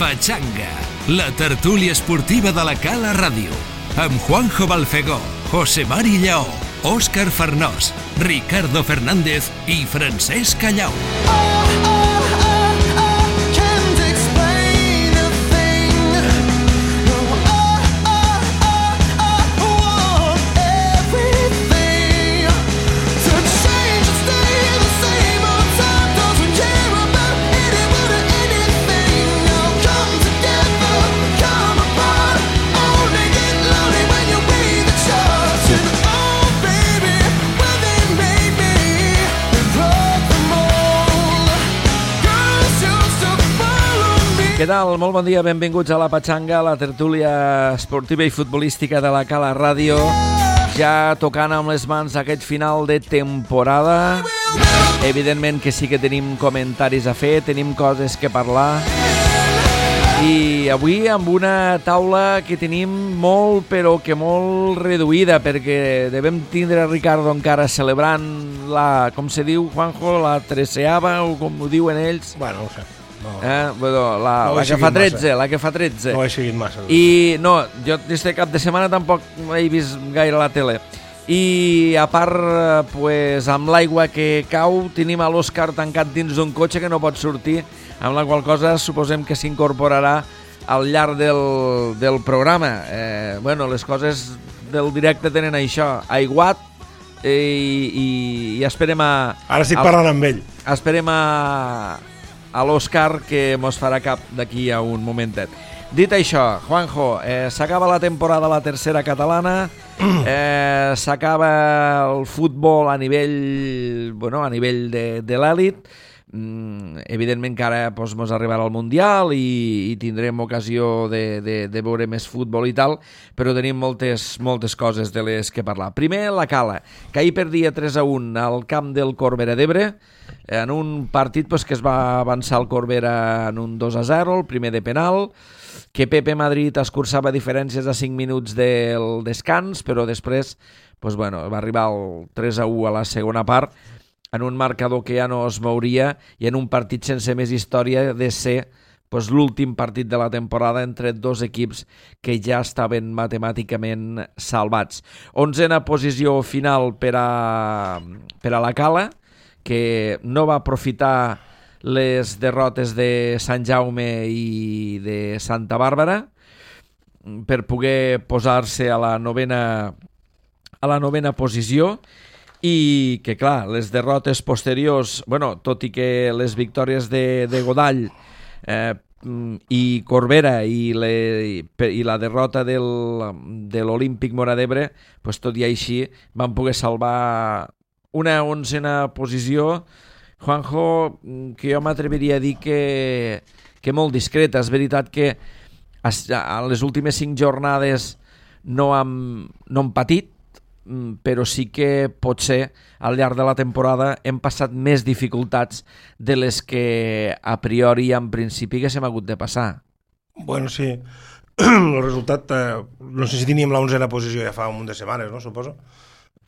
Pachanga, la tertúlia esportiva de la Cala Ràdio, amb Juanjo Balfegó, José Mari Lleó, Òscar Farnós, Ricardo Fernández i Francesc Callau. Què tal? Molt bon dia, benvinguts a la Pachanga, la tertúlia esportiva i futbolística de la Cala Ràdio. Ja tocant amb les mans aquest final de temporada. Evidentment que sí que tenim comentaris a fer, tenim coses que parlar. I avui amb una taula que tenim molt, però que molt reduïda, perquè devem tindre Ricardo encara celebrant la, com se diu, Juanjo, la 13ª, o com ho diuen ells. Bueno, no ho sé. No, la que fa 13, la que fa 13. No ho he seguit massa. I no, jo este cap de setmana tampoc he vist gaire la tele. I a part, pues, amb l'aigua que cau, tenim a l'Òscar tancat dins d'un cotxe que no pot sortir, amb la qual cosa suposem que s'incorporarà al llarg del programa. Bueno, les coses del directe tenen això, aiguat, i esperem a... Ara estic parlant amb ell. Esperem a l'Òscar, que mos farà cap d'aquí a un momentet. Dit això, Juanjo, s'acaba la temporada a la tercera catalana, s'acaba el futbol a nivell de l'èlit. Evidentment que ara mos arribarà el Mundial i tindrem ocasió de veure més futbol i tal, però tenim moltes coses de les que parlar. Primer, la Cala, que ahir perdia 3-1 al camp del Corbera d'Ebre, en un partit que es va avançar el Corbera en un 2-0, el primer de penal, que Pepe Madrid escurçava diferències a 5 minuts del descans, però després va arribar el 3-1 a la segona part, en un marcador que ja no es mouria i en un partit sense més història de ser l'últim partit de la temporada entre dos equips que ja estaven matemàticament salvats. 11a posició final per a la Cala, que no va aprofitar les derrotes de Sant Jaume i de Santa Bàrbara per poder posar-se a la novena posició, i que, clar, les derrotes posteriors, tot i que les victòries de Godall i Corbera i la derrota de l'Olímpic Móra d'Ebre, tot i així van poder salvar una 11a posició, Juanjo, que jo m'atreviria a dir que molt discreta. És veritat que a les últimes 5 jornades no han patit, però sí que potser al llarg de la temporada hem passat més dificultats de les que a priori en principi haguéssim hagut de passar. Bueno, sí. El resultat, no sé si teníem la 11a posició ja fa un munt de setmanes, no? Suposo.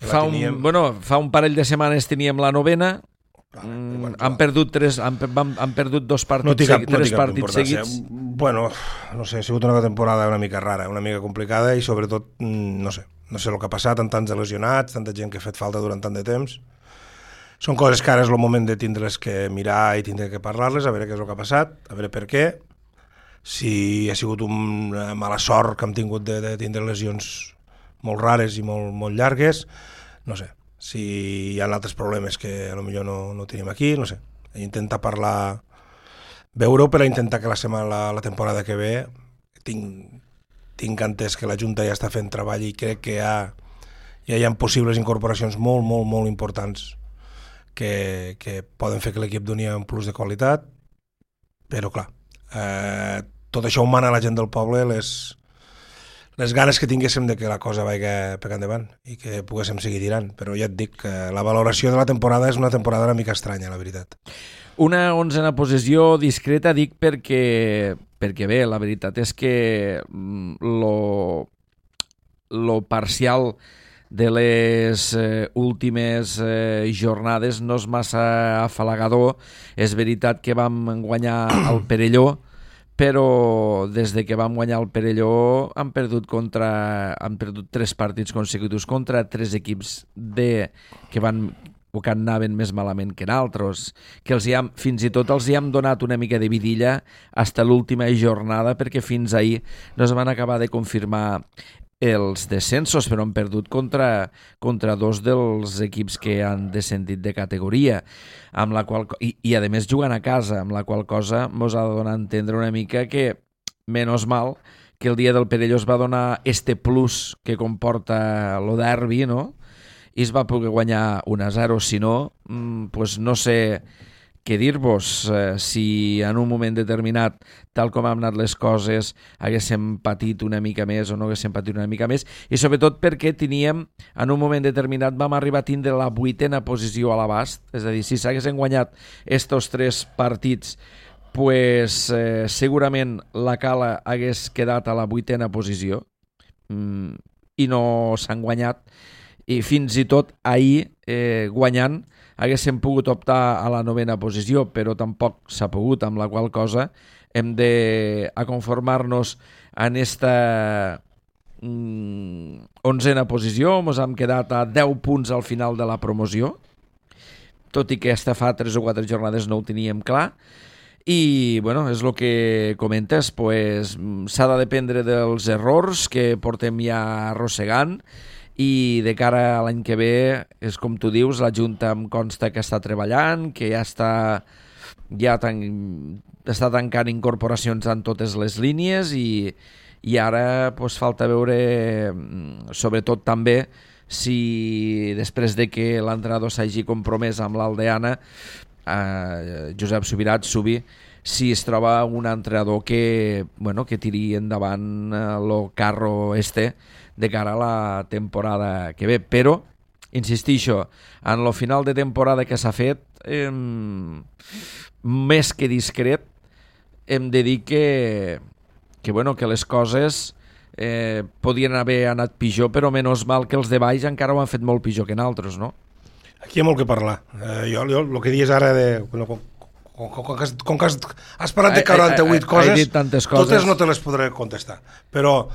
Fa un parell de setmanes teníem la 9a. Han perdut 2 partits seguits. Bueno, no sé, ha sigut una temporada una mica rara, una mica complicada, i sobretot, no sé el que ha passat, amb tants lesionats, tanta gent que ha fet falta durant tant de temps. Són coses que ara és el moment de tindre-les que mirar i tindre que parlar-les, a veure què és el que ha passat, a veure per què, si ha sigut una mala sort que hem tingut de tindre lesions molt rares i molt llargues, no sé. Si hi ha altres problemes que potser no tenim aquí, no sé. Intentar parlar, veure-ho, per a intentar que la temporada que ve tinc entès que la Junta ja està fent treball i crec que ja hi ha possibles incorporacions molt importants que poden fer que l'equip doni un plus de qualitat, però clar, tot això ho mana la gent del poble, les ganes que tinguéssim de que la cosa vagi per endavant i que poguéssim seguir tirant, però ja et dic que la valoració de la temporada és una temporada una mica estranya, la veritat. Una 11a posició discreta, dic, perquè bé, la veritat és que lo parcial de les últimes jornades no és massa afalagador. És veritat que vam guanyar el Perelló, però des de que vam guanyar el Perelló han perdut 3 partits consecutius contra 3 equips que anaven més malament que nosaltres, que fins i tot els hi hem donat una mica de vidilla fins a l'última jornada, perquè fins ahir no es van acabar de confirmar els descensos, però han perdut contra 2 dels equips que han descendit de categoria, amb la qual, i a més jugant a casa, amb la qual cosa mos ha de donar a entendre una mica que, menys mal, que el dia del Perelló es va donar este plus que comporta lo derbi, no? I es va poder guanyar 1-0, si no, pues no sé què dir-vos, si en un moment determinat, tal com han anat les coses, haguéssim patit una mica més o no haguéssim patit una mica més, i sobretot perquè teníem, en un moment determinat, vam arribar a tindre la 8a posició a l'abast, és a dir, si s'haguessin guanyat estos 3 partits, pues, segurament la Cala hagués quedat a la 8a posició, i no s'han guanyat, i fins i tot ahir, guanyant, haguéssim pogut optar a la 9a posició, però tampoc s'ha pogut, amb la qual cosa hem de conformar-nos en esta 11a posició. Ens hem quedat a 10 punts al final de la promoció, tot i que fa 3 o 4 jornades no ho teníem clar. I, bueno, és el que comentes, pues, s'ha de dependre dels errors que portem ja arrossegant, i de cara a l'any que ve, és com tu dius, la Junta em consta que està treballant, que ja està tancant incorporacions en totes les línies, i ara pues, falta veure, sobretot també, si després de que l'entrenador s'hagi compromès amb l'Aldeana, Josep Subirat, si es troba un entrenador que tiri endavant el carro de cara a la temporada que ve. Però, insistixo, en el final de temporada que s'ha fet, més que discret, hem de dir que les coses podien haver anat pitjor, però menys mal que els de baix encara ho han fet molt pitjor que nosaltres, no? Aquí hi ha molt que parlar. Jo el que dius ara com que has parlat de 48 coses, totes no te les podré contestar. Però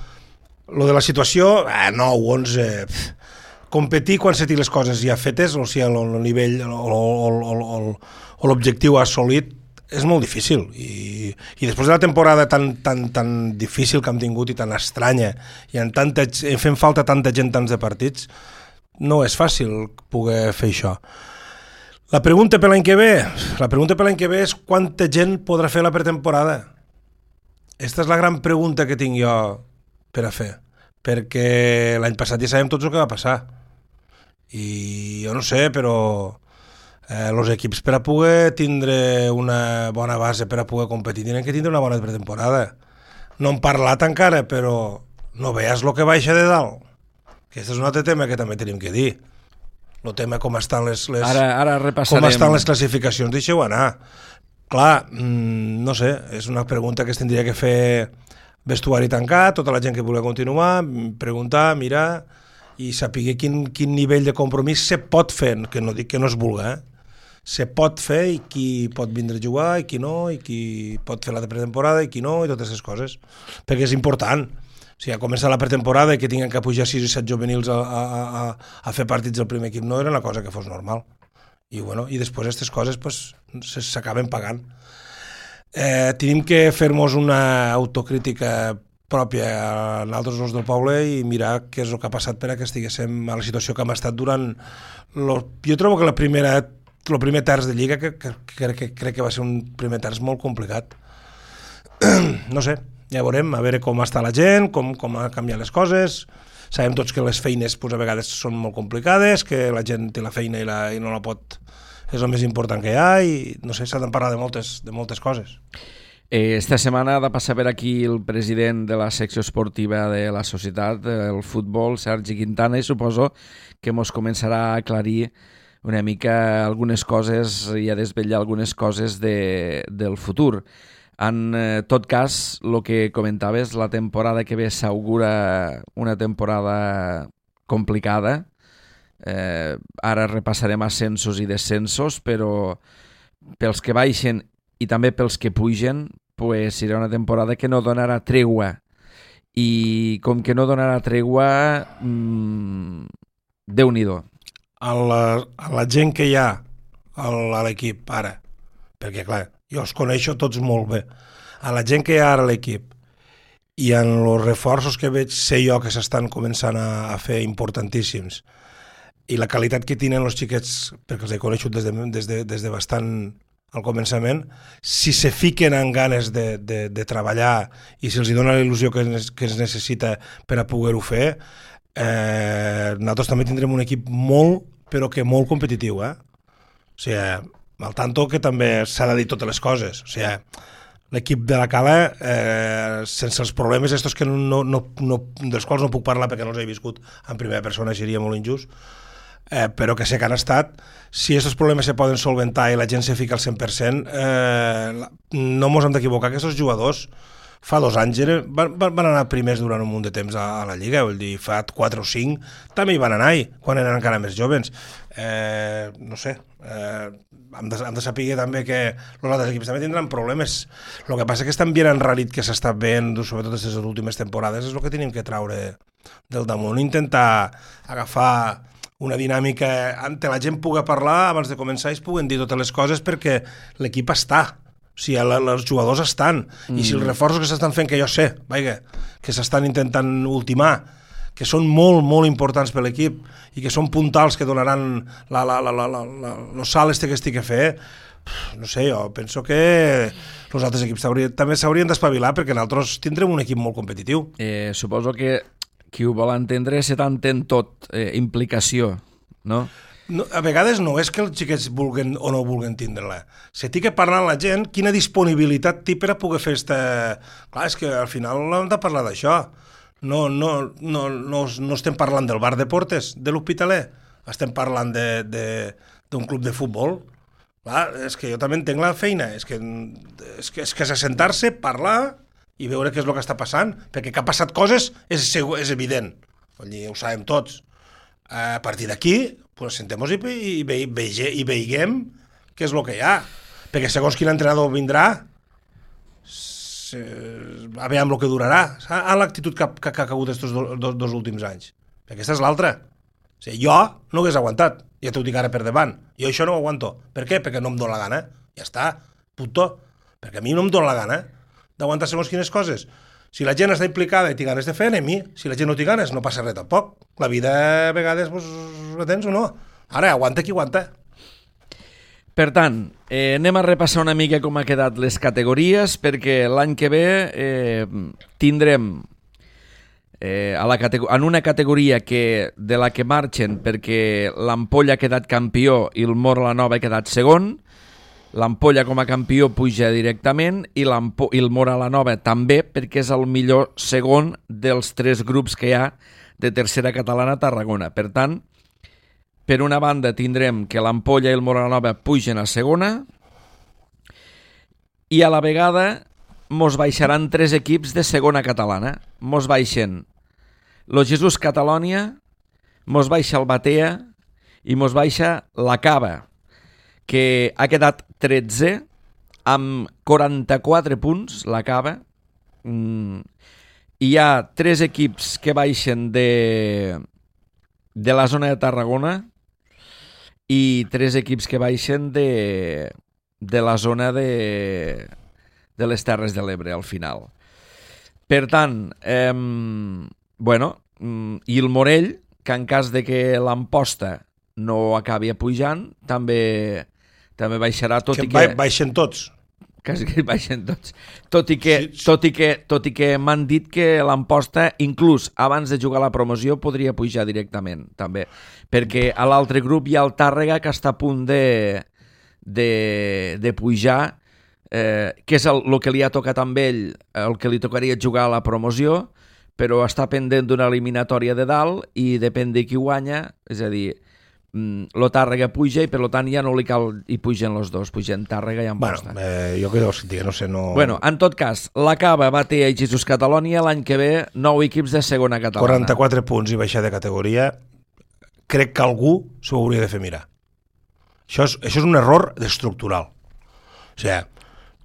lo de la situació, 9, 11... competir quan se té les coses ja fetes, o sigui, el nivell o l'objectiu assolit, és molt difícil. I després de la temporada tan difícil que hem tingut i tan estranya, i fent falta tanta gent, tants de partits, no és fàcil poder fer això. La pregunta per l'any que ve és quanta gent podrà fer la pretemporada. Aquesta és la gran pregunta que tinc jo per a fer, perquè l'any passat ja sabem tots el que va passar, i jo no sé, però els equips, per a poder tindre una bona base, per a poder competir, tenen que tindre una bona pretemporada. No hem parlat encara, però no veies el que baixa de dalt. Aquest és un altre tema que també tenim que dir. El tema com estan ara repassarem. Com estan les classificacions, deixeu anar. Clar, no sé, és una pregunta que es tindria que fer vestuari tancat, tota la gent que vulgui continuar, preguntar, mirar i saber quin nivell de compromís se pot fer, que no dic que no es vulgui, se pot fer, i qui pot vindre a jugar i qui no, i qui pot fer la pretemporada i qui no, i totes aquestes coses, perquè és important. O sigui, a començar la pretemporada i que tinguin que pujar 6 i 7 juvenils a fer partits del primer equip no era una cosa que fos normal. I després aquestes coses s'acaben pagant. Tenim que fer-nos una autocrítica pròpia a nosaltres els del poble i mirar què és el que ha passat per a que estiguéssim a la situació que hem estat durant... Jo trobo que el primer terç de Lliga que crec que va ser un primer terç molt complicat. No sé, ja veurem, a veure com està la gent, com han canviat les coses. Sabem tots que les feines a vegades són molt complicades, que la gent té la feina i no la pot... És el més important que hi ha, i no sé, s'ha de parlar de moltes coses. Esta setmana ha de passar per aquí el president de la secció esportiva de la societat, el futbol, Sergi Quintana, i suposo que ens començarà a aclarir una mica algunes coses i a desvetllar algunes coses del futur. En tot cas, el que comentaves, la temporada que ve s'augura una temporada complicada. Ara repassarem ascensos i descensos, però pels que baixen i també pels que pugen, pues serà una temporada que no donarà tregua. I com que no donarà tregua, Déu-n'hi-do. A la gent que hi ha a l'equip ara, perquè clar, jo els coneixo tots molt bé, a la gent que hi ha ara a l'equip i en els reforços que veig sé jo que s'estan començant a fer importantíssims i la qualitat que tenen els xiquets, perquè els he coneixut des de bastant al començament, si se fiquen en ganes de treballar i si els dona la il·lusió que es necessita per a poder-ho fer, nosaltres també tindrem un equip molt, però que molt competitiu, O sigui, al tanto que també s'ha de dir totes les coses. O sigui, l'equip de la Cala, sense els problemes estos que dels quals no puc parlar perquè no els he viscut en primera persona, seria molt injust, però que sé que han estat, si aquests problemes se poden solventar i la gent se fica al 100%, no mos hem d'equivocar, aquests jugadors fa 2 anys van anar primers durant un munt de temps a la Lliga, vull dir, fa 4 o 5 també hi van anar quan eren encara més jovens. No sé, hem de saber també que els altres equips també tindran problemes. El que passa és que estan bien enrarit que s'està veient, sobretot aquestes últimes temporades, és el que tenim que traure del damunt, intentar agafar una dinàmica on la gent pugui parlar abans de començar i es puguen dir totes les coses perquè l'equip està. O sigui, els jugadors estan, i si els reforços que s'estan fent, que jo sé, que s'estan intentant ultimar, que són molt, molt importants per l'equip i que són puntals que donaran el salt que estic a fer, no sé, jo penso que els altres equips també s'haurien d'espavilar perquè nosaltres tindrem un equip molt competitiu. Suposo que qui ho vol entendre se t'entén tot, implicació, no? No, a vegades no és que els xiquets vulguen o no vulguen tindre-la. Se té que parlar amb la gent quina disponibilitat té per a poder fer Clar, és que al final hem de parlar d'això. No estem parlant del bar de Portes, de l'Hospitalet. Estem parlant d'un club de futbol. Clar, és que jo també entenc la feina. És que és assentar-se, parlar i veure què és el que està passant. Perquè que ha passat coses és evident. Vull dir, ho sabem tots. A partir d'aquí, pues sentem-nos i veiguem què és el que hi ha. Perquè segons quin entrenador vindrà, a veure amb el que durarà. A l'actitud que ha cagut aquests dos últims anys. Perquè aquesta és l'altra. O sigui, jo no ho hagués aguantat. Ja t'ho dic ara per davant. Jo això no ho aguanto. Per què? Perquè no em dóna la gana. Ja està, puto. Perquè a mi no em dóna la gana d'aguantar segons quines coses. Si la gent està implicada i té ganes de fer, anem-hi. Si la gent no té ganes, no passa res tampoc. La vida a vegades la tens o no. Ara, aguanta qui aguanta. Per tant, anem a repassar una mica com ha quedat les categories, perquè l'any que ve tindrem en una categoria de la que marxen perquè l'Ampolla ha quedat campió i el Móra la Nova ha quedat segon. L'Ampolla com a campió puja directament i el Móra la Nova també, perquè és el millor segon dels 3 grups que hi ha de tercera catalana a Tarragona. Per tant, per una banda tindrem que l'Ampolla i el Móra la Nova pugen a segona i a la vegada mos baixaran 3 equips de segona catalana. Mos baixen lo Jesús Catalònia, mos baixa el Batea i mos baixa la Cava, que ha quedat 13 amb 44 punts, la Cava. Hi ha 3 equips que baixen de la zona de Tarragona i 3 equips que baixen de la zona de les Terres de l'Ebre al final. Per tant, i el Morell, que en cas de que l'Amposta no acabi pujant, també baixarà, tot i que... Baixen tots. Quasi que baixen tots. Tot i que m'han dit que l'Amposta, inclús abans de jugar la promoció, podria pujar directament, també. Perquè a l'altre grup hi ha el Tàrrega, que està a punt de pujar, que és el que li ha tocat amb ell, el que li tocaria jugar a la promoció, però està pendent d'una eliminatòria de dalt i depèn de qui guanya, és a dir... lo Tàrrega puja i per tant ja no li cal i pugen els dos, pugen Tàrrega i Amposta. Jo que sentia, no sé, no... En tot cas, la Cava, Batea i Jesús Catalònia l'any que ve 9 equips de segona catalana. 44 punts i baixar de categoria, crec que algú s'ho hauria de fer mirar. Això és un error estructural. O sigui,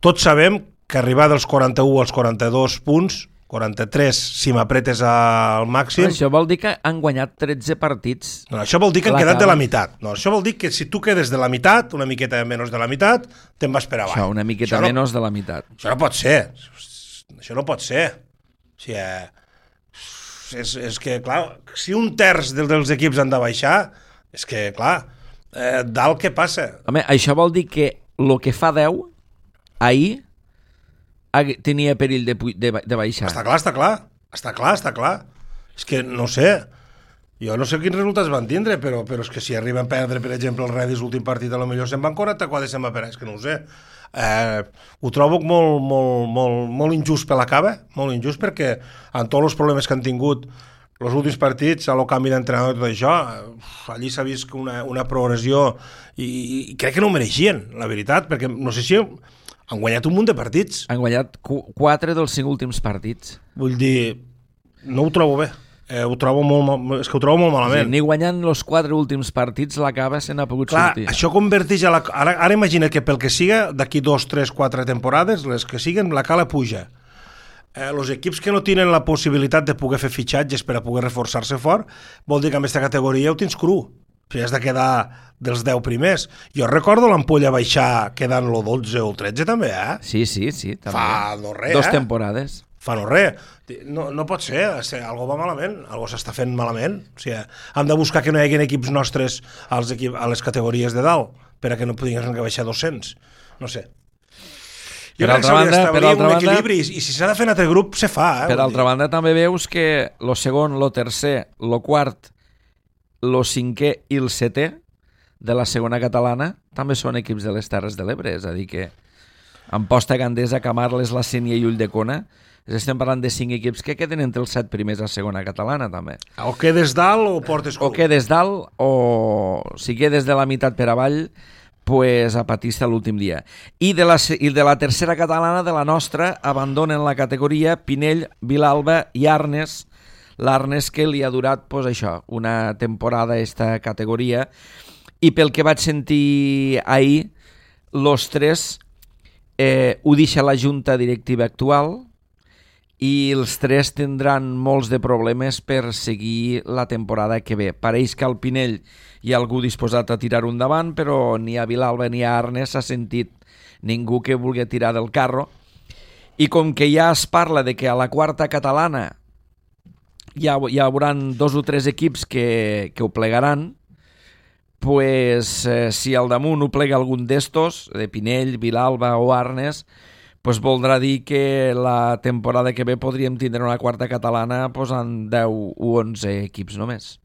tots sabem que arribar dels 41 als 42 punts, 43 si m'apretes al màxim... Això vol dir que han guanyat 13 partits. No, això vol dir que han quedat de la meitat. No, això vol dir que si tu quedes de la meitat, una miqueta menys de la meitat, te'n vas per avall. Això, una miqueta menys de la meitat. Això no pot ser. Això no pot ser. O sigui, és que, clar, si un terç dels equips han de baixar, és que, clar, dalt què passa? Home, això vol dir que el que fa 10, ahir, tenia perill de baixar. Està clar. És que no sé. Jo no sé quins resultats van tindre, però és que si arriben a perdre, per exemple, el Redis l'últim partit, potser se'n van 44 se'n va per... És que no ho sé. Ho trobo molt injust per la cava, molt injust, perquè amb tots els problemes que han tingut els últims partits, a lo canvi d'entrenador i tot això, allí s'ha vist una progressió i crec que no ho mereixien, la veritat, perquè no sé si han guanyat un munt de partits. Han guanyat 4 dels 5 últims partits. Vull dir, no ho trobo bé. Ho trobo molt malament. Sí, ni guanyant els 4 últims partits la cava se n'ha pogut sortir. Això converteix a la... Ara imagina que pel que siga, d'aquí 2, 3, 4 temporades, les que siguen, la cala puja. Els equips que no tenen la possibilitat de poder fer fitxatges per a poder reforçar-se fort, vol dir que en aquesta categoria ho tens cru. Si has de quedar dels 10 primers. Jo recordo l'Ampolla baixar quedant el 12 o el 13 també, Sí, també. Fa no res, 2 temporades. Fa no res. No pot ser, algo va malament, algo s'està fent malament. O sigui, hem de buscar que no hi hagi equips nostres a les categories de dalt, per a que no puguin baixar 200. No sé. Jo crec que s'hauria d'establir un equilibri i si s'ha de fer un altre grup, se fa. Per altra banda, també veus que el segon, el tercer, el quart, el cinquè i el setè de la segona catalana també són equips de les Terres de l'Ebre, és a dir que Amposta, Gandesa, Camarles, La Sénia i Ulldecona estem parlant de 5 equips que queden entre els 7 primers a segona catalana també. O quedes dalt o portes cul. O quedes dalt o si quedes de la meitat per avall pues a patista l'últim dia. I de la tercera catalana, de la nostra, abandonen la categoria Pinell, Vilalba i Arnes. L'Arnes que li ha durat pues, això, una temporada esta categoria, i pel que vaig sentir ahir, los 3 ho deixa la junta directiva actual i els 3 tindran molts de problemes per seguir la temporada que ve. Pareix que al Pinell hi ha algú disposat a tirar endavant, però ni a Vilalba ni a Arnes s'ha sentit ningú que vulgui tirar del carro, i com que ja es parla de que a la quarta catalana hi haurà 2 o 3 equips que ho plegaran, pues, si al damunt ho plega algun d'estos, de Pinell, Vilalba o Arnes, pues voldrà dir que la temporada que ve podríem tindre una quarta catalana pues, en 10 o 11 equips només.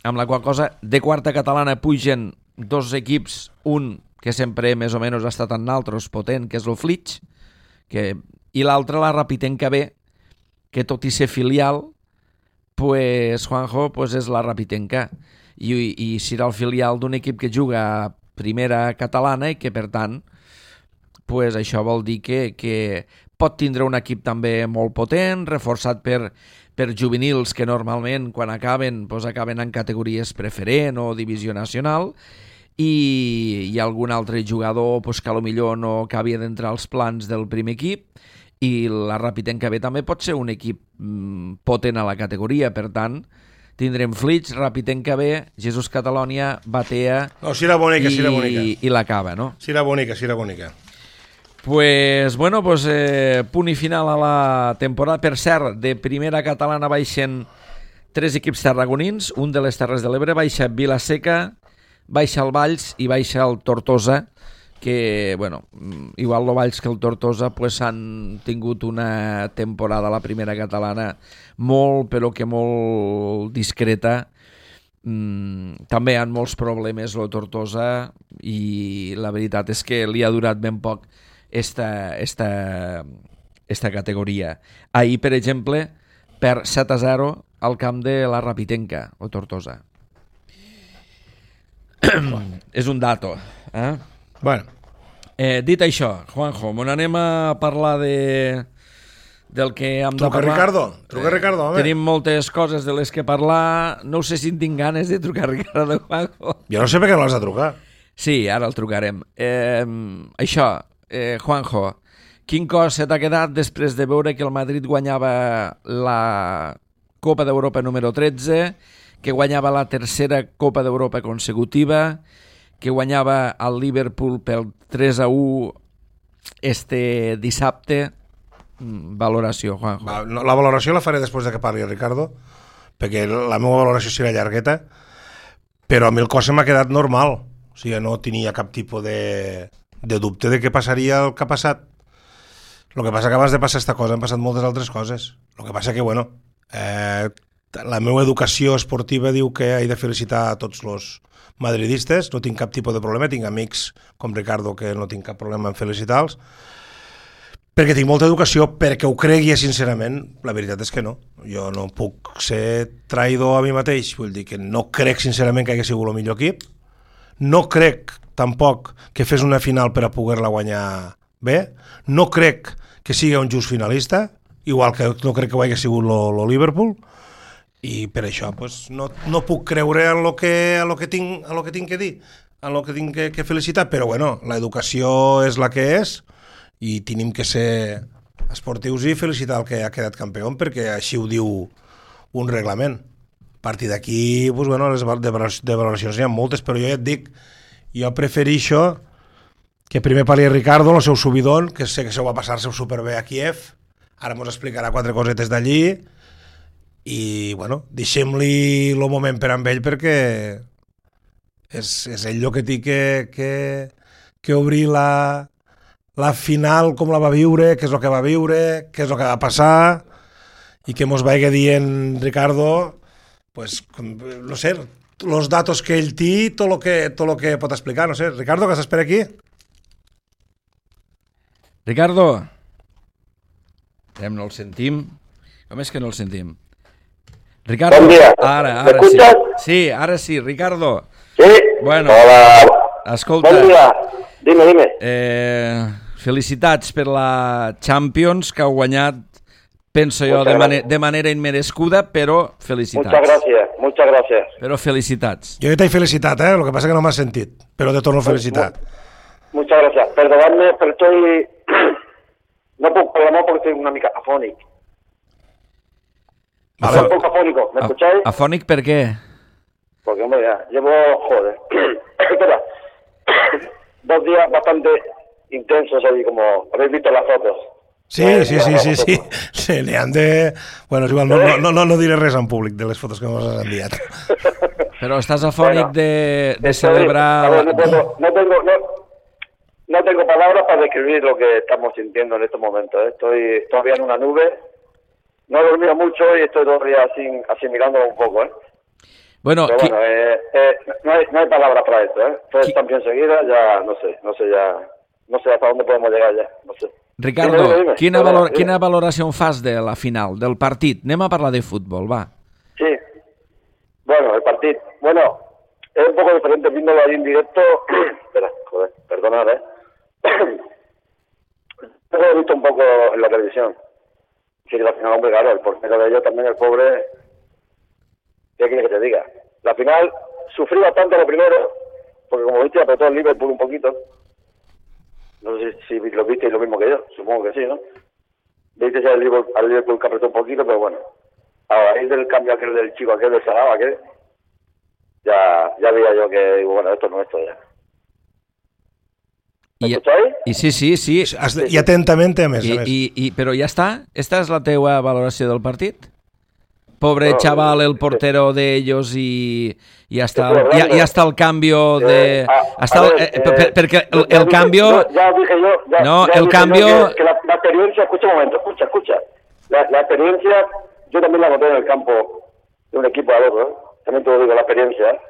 Amb la qual cosa, de quarta catalana pugen 2 equips, un que sempre més o menys ha estat en altres potent, que és el Flitx, i l'altre la Rapitenca B, que tot i ser filial, pues, Juanjo, pues és la Rapitenca. I serà el filial d'un equip que juga a primera catalana i que, per tant, pues, això vol dir que pot tindre un equip també molt potent, reforçat per juvenils que normalment, quan acaben, pues, acaben en categories preferent o divisió nacional, i hi ha algun altre jugador pues, que potser no acabi d'entrar als plans del primer equip, i la Rapitenca B també pot ser un equip potent a la categoria. Per tant, tindrem Flitx, Rapitenca B, Jesús Catalònia, Batea i la Cava, no? Sí, era bonica. Pues, bueno, pues, punt i final a la temporada. Per cert, de primera catalana baixen 3 equips tarragonins, un de les Terres de l'Ebre, baixa Vilaseca, baixa el Valls i baixa el Tortosa, que, bueno, igual el Valls que el Tortosa pues, han tingut una temporada a la primera catalana molt, però que molt discreta. També hi ha molts problemes el Tortosa i la veritat és que li ha durat ben poc esta categoria. Ahir, per exemple, per 7-0 al camp de la Rapitenca, o Tortosa. És un dato, Bueno. Dit això, Juanjo, anem a parlar del que hem de parlar. Truca Ricardo, home. Tenim moltes coses de les que parlar. No sé si en tinc ganes de trucar a Ricardo, Juanjo. Jo no sé per què no l'has de trucar. Sí, ara el trucarem. Això, Juanjo, Quin cos se t'ha quedat després de veure que el Madrid guanyava la Copa d'Europa número 13, que guanyava la tercera Copa d'Europa consecutiva, que guanyava el Liverpool pel 3-1 este dissabte? Valoració, Juanjo. La valoració la faré després de que parli el Ricardo, perquè la meva valoració serà llargueta, però a mi el cos se m'ha quedat normal. O sigui, no tenia cap tipus de dubte de què passaria el que ha passat. El que passa que abans de passar aquesta cosa han passat moltes altres coses. El que passa que, bueno, la meva educació esportiva diu que he de felicitar a tots els madridistes, no tinc cap tipus de problema, tinc amics com Ricardo que no tinc cap problema en felicitar-los, perquè tinc molta educació, perquè ho cregui sincerament, la veritat és que no. Jo no puc ser traïdor a mi mateix, vull dir que no crec sincerament que hagi sigut el millor equip, no crec tampoc que fes una final per a poder-la guanyar bé, no crec que sigui un just finalista, igual que no crec que ho hagi sigut el Liverpool, i per això pues, no puc creure en lo que tinc que dir, en lo que tinc que felicitar, però bueno, l'educació és la que és, i tenim que ser esportius i felicitar el que ha quedat campió, perquè així ho diu un reglament. A partir d'aquí, pues, bueno, les de valoracions hi ha moltes, però jo ja et dic, jo prefereixo que primer parli Ricardo, el seu subidón, que sé que se ho va passar-se superbé a Kiev, ara ens explicarà 4 cosetes d'allí, i bueno, deixem-li el moment per amb ell, perquè és ell el que té que obrir la final, com la va viure, què és el que va viure, què és el que va passar, i que mos vagi dient Ricardo, pues, no sé, los datos que ell té, tot lo que pot explicar, no sé. Ricardo, que estàs per aquí? Ricardo, no el sentim. Com és que no el sentim? Ricardo, bon dia. Ara sí. Sí, ara sí, Ricardo. Sí? Bueno, hola. Escolta. Bon dia. Dime. Felicitats per la Champions, que heu guanyat, penso jo, de manera inmerescuda, però felicitats. Muchas gracias. Però felicitats. Jo t'he felicitat, lo que passa que no m'has sentit, però te torno a felicitar. Muchas gracias. Perdonadme, pero estoy... No puedo hablar porque estoy una mica afónico. Vale. Un poco afónico, ¿me escucháis? ¿Afónico por qué? Porque, hombre, ya llevo, espera, 2 días bastante intensos ahí, como habéis visto las fotos. Sí. Se le han de... Bueno, és igual, no diré res en públic de les fotos que ens has enviat. Però estàs afònic de celebrar... A ver, no tengo palabras para describir lo que estamos sintiendo en estos momentos. Estoy todavía en una nube. No he dormido mucho y estoy todavía asimilándolo un poco, Bueno, pero bueno, no hay palabras para esto, Todo está bien seguida, ya no sé hasta dónde podemos llegar ya, no sé. Ricardo, dime. Quina valoració fas de la final, del partit? Anem a parlar de futbol, va. Sí, bueno, el partido. Bueno, es un poco diferente viéndolo ahí en directo. Espera, joder, perdonad, Lo he visto un poco en la televisión. Sí, la final, hombre, claro, el portero de ellos también, el pobre... ¿Qué quieres que te diga? La final sufrí bastante lo primero, porque como viste apretó el Liverpool un poquito. No sé si lo viste lo mismo que yo, supongo que sí, ¿no? Viste ya al Liverpool que apretó un poquito, pero bueno. A raíz del cambio aquel del chico, aquel del Saraba, aquel, ya veía yo que, bueno, esto no es esto ya. ¿Me escucháis? I sí. I atentament, a més. Però ja està? Esta és la teua valoració del partit? Pobre chaval, el portero de ellos y hasta el cambio de... Porque el cambio... Ya dije yo... el cambio... Que la experiencia... Escucha un momento, escucha. La experiencia, yo también la noté en el campo de un equipo al otro, También te lo digo, la experiencia.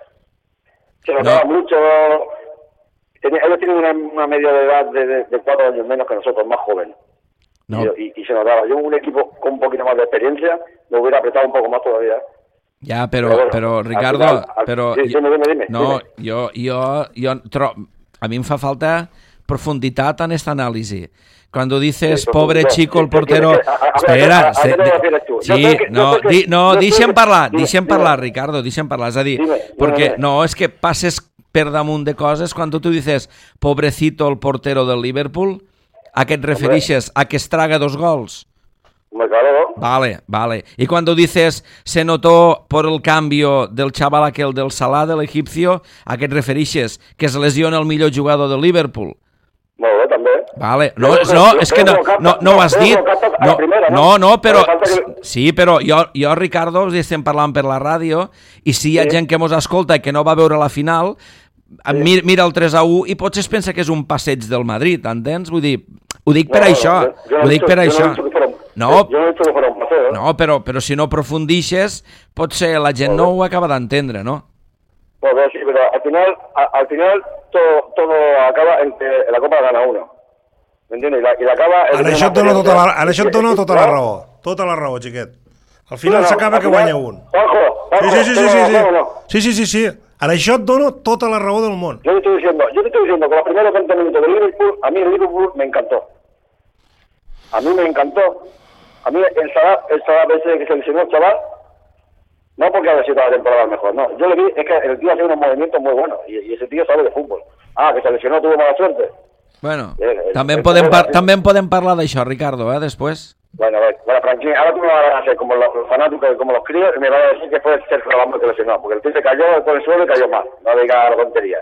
Se notaba mucho... Ellos tienen una media de edad de 4 años menos que nosotros, más jóvenes. No. Y se notaba. Yo un equipo con un poquito más de experiencia me hubiera apretado un poco más todavía. Ya, pero Ricardo, dime. No, a mí me fa falta profundidad en esta análisis. Cuando dices pobre chico el portero, espera, deixa'm parlar, Ricardo, deixa'm parlar, és a dir, porque no, es que passes per damunt de coses, cuando tú dices pobrecito el portero del Liverpool, ¿A qué te referixes? ¿A que es traga 2 gols? Claro. Vale. Y cuando dices se notó por el cambio del chaval aquel del Salah, del egipcio, ¿a qué te referixes? Que es lesiona el millor jugador del Liverpool. Molt bé, també. Vale, no, és que no ho has dit. No, però... Sí, però jo, Ricardo, estem parlant per la ràdio, i si hi ha gent que mos escolta i que no va veure la final, mira el 3-1 i potser es pensa que és un passeig del Madrid, entens? Vull dir, ho dic per això. Ho dic per això. No, però si no aprofundixes, potser la gent no ho acaba d'entendre, ¿no? Pues sí, pero al final todo acaba en que la Copa gana uno. ¿Me entiendes? Y la acaba... Ara això et dona tota la raó. Tota la raó, xiquet. Al final s'acaba que guanya un. Sí. Ara això et dona tota la raó del món. Yo te estoy diciendo que los primeros 20 minutos de Liverpool, a mí el Liverpool me encantó. A mí me encantó. A mí el Salah ese que se lesionó el chaval, no porque haya sido la temporada mejor, no. Yo le vi, es que el tío hace unos movimientos muy buenos y ese tío sabe de fútbol. Que se lesionó, tuvo mala suerte. Bueno, també en podem parlar d'això, Ricardo, després. Bueno, tranquilo, ahora tú me vas a hacer como los fanáticos, como los críos, y me vas a decir que fue Sergio Ramos que lesionó, porque el tío se cayó por el suelo y cayó mal, no diga la tontería.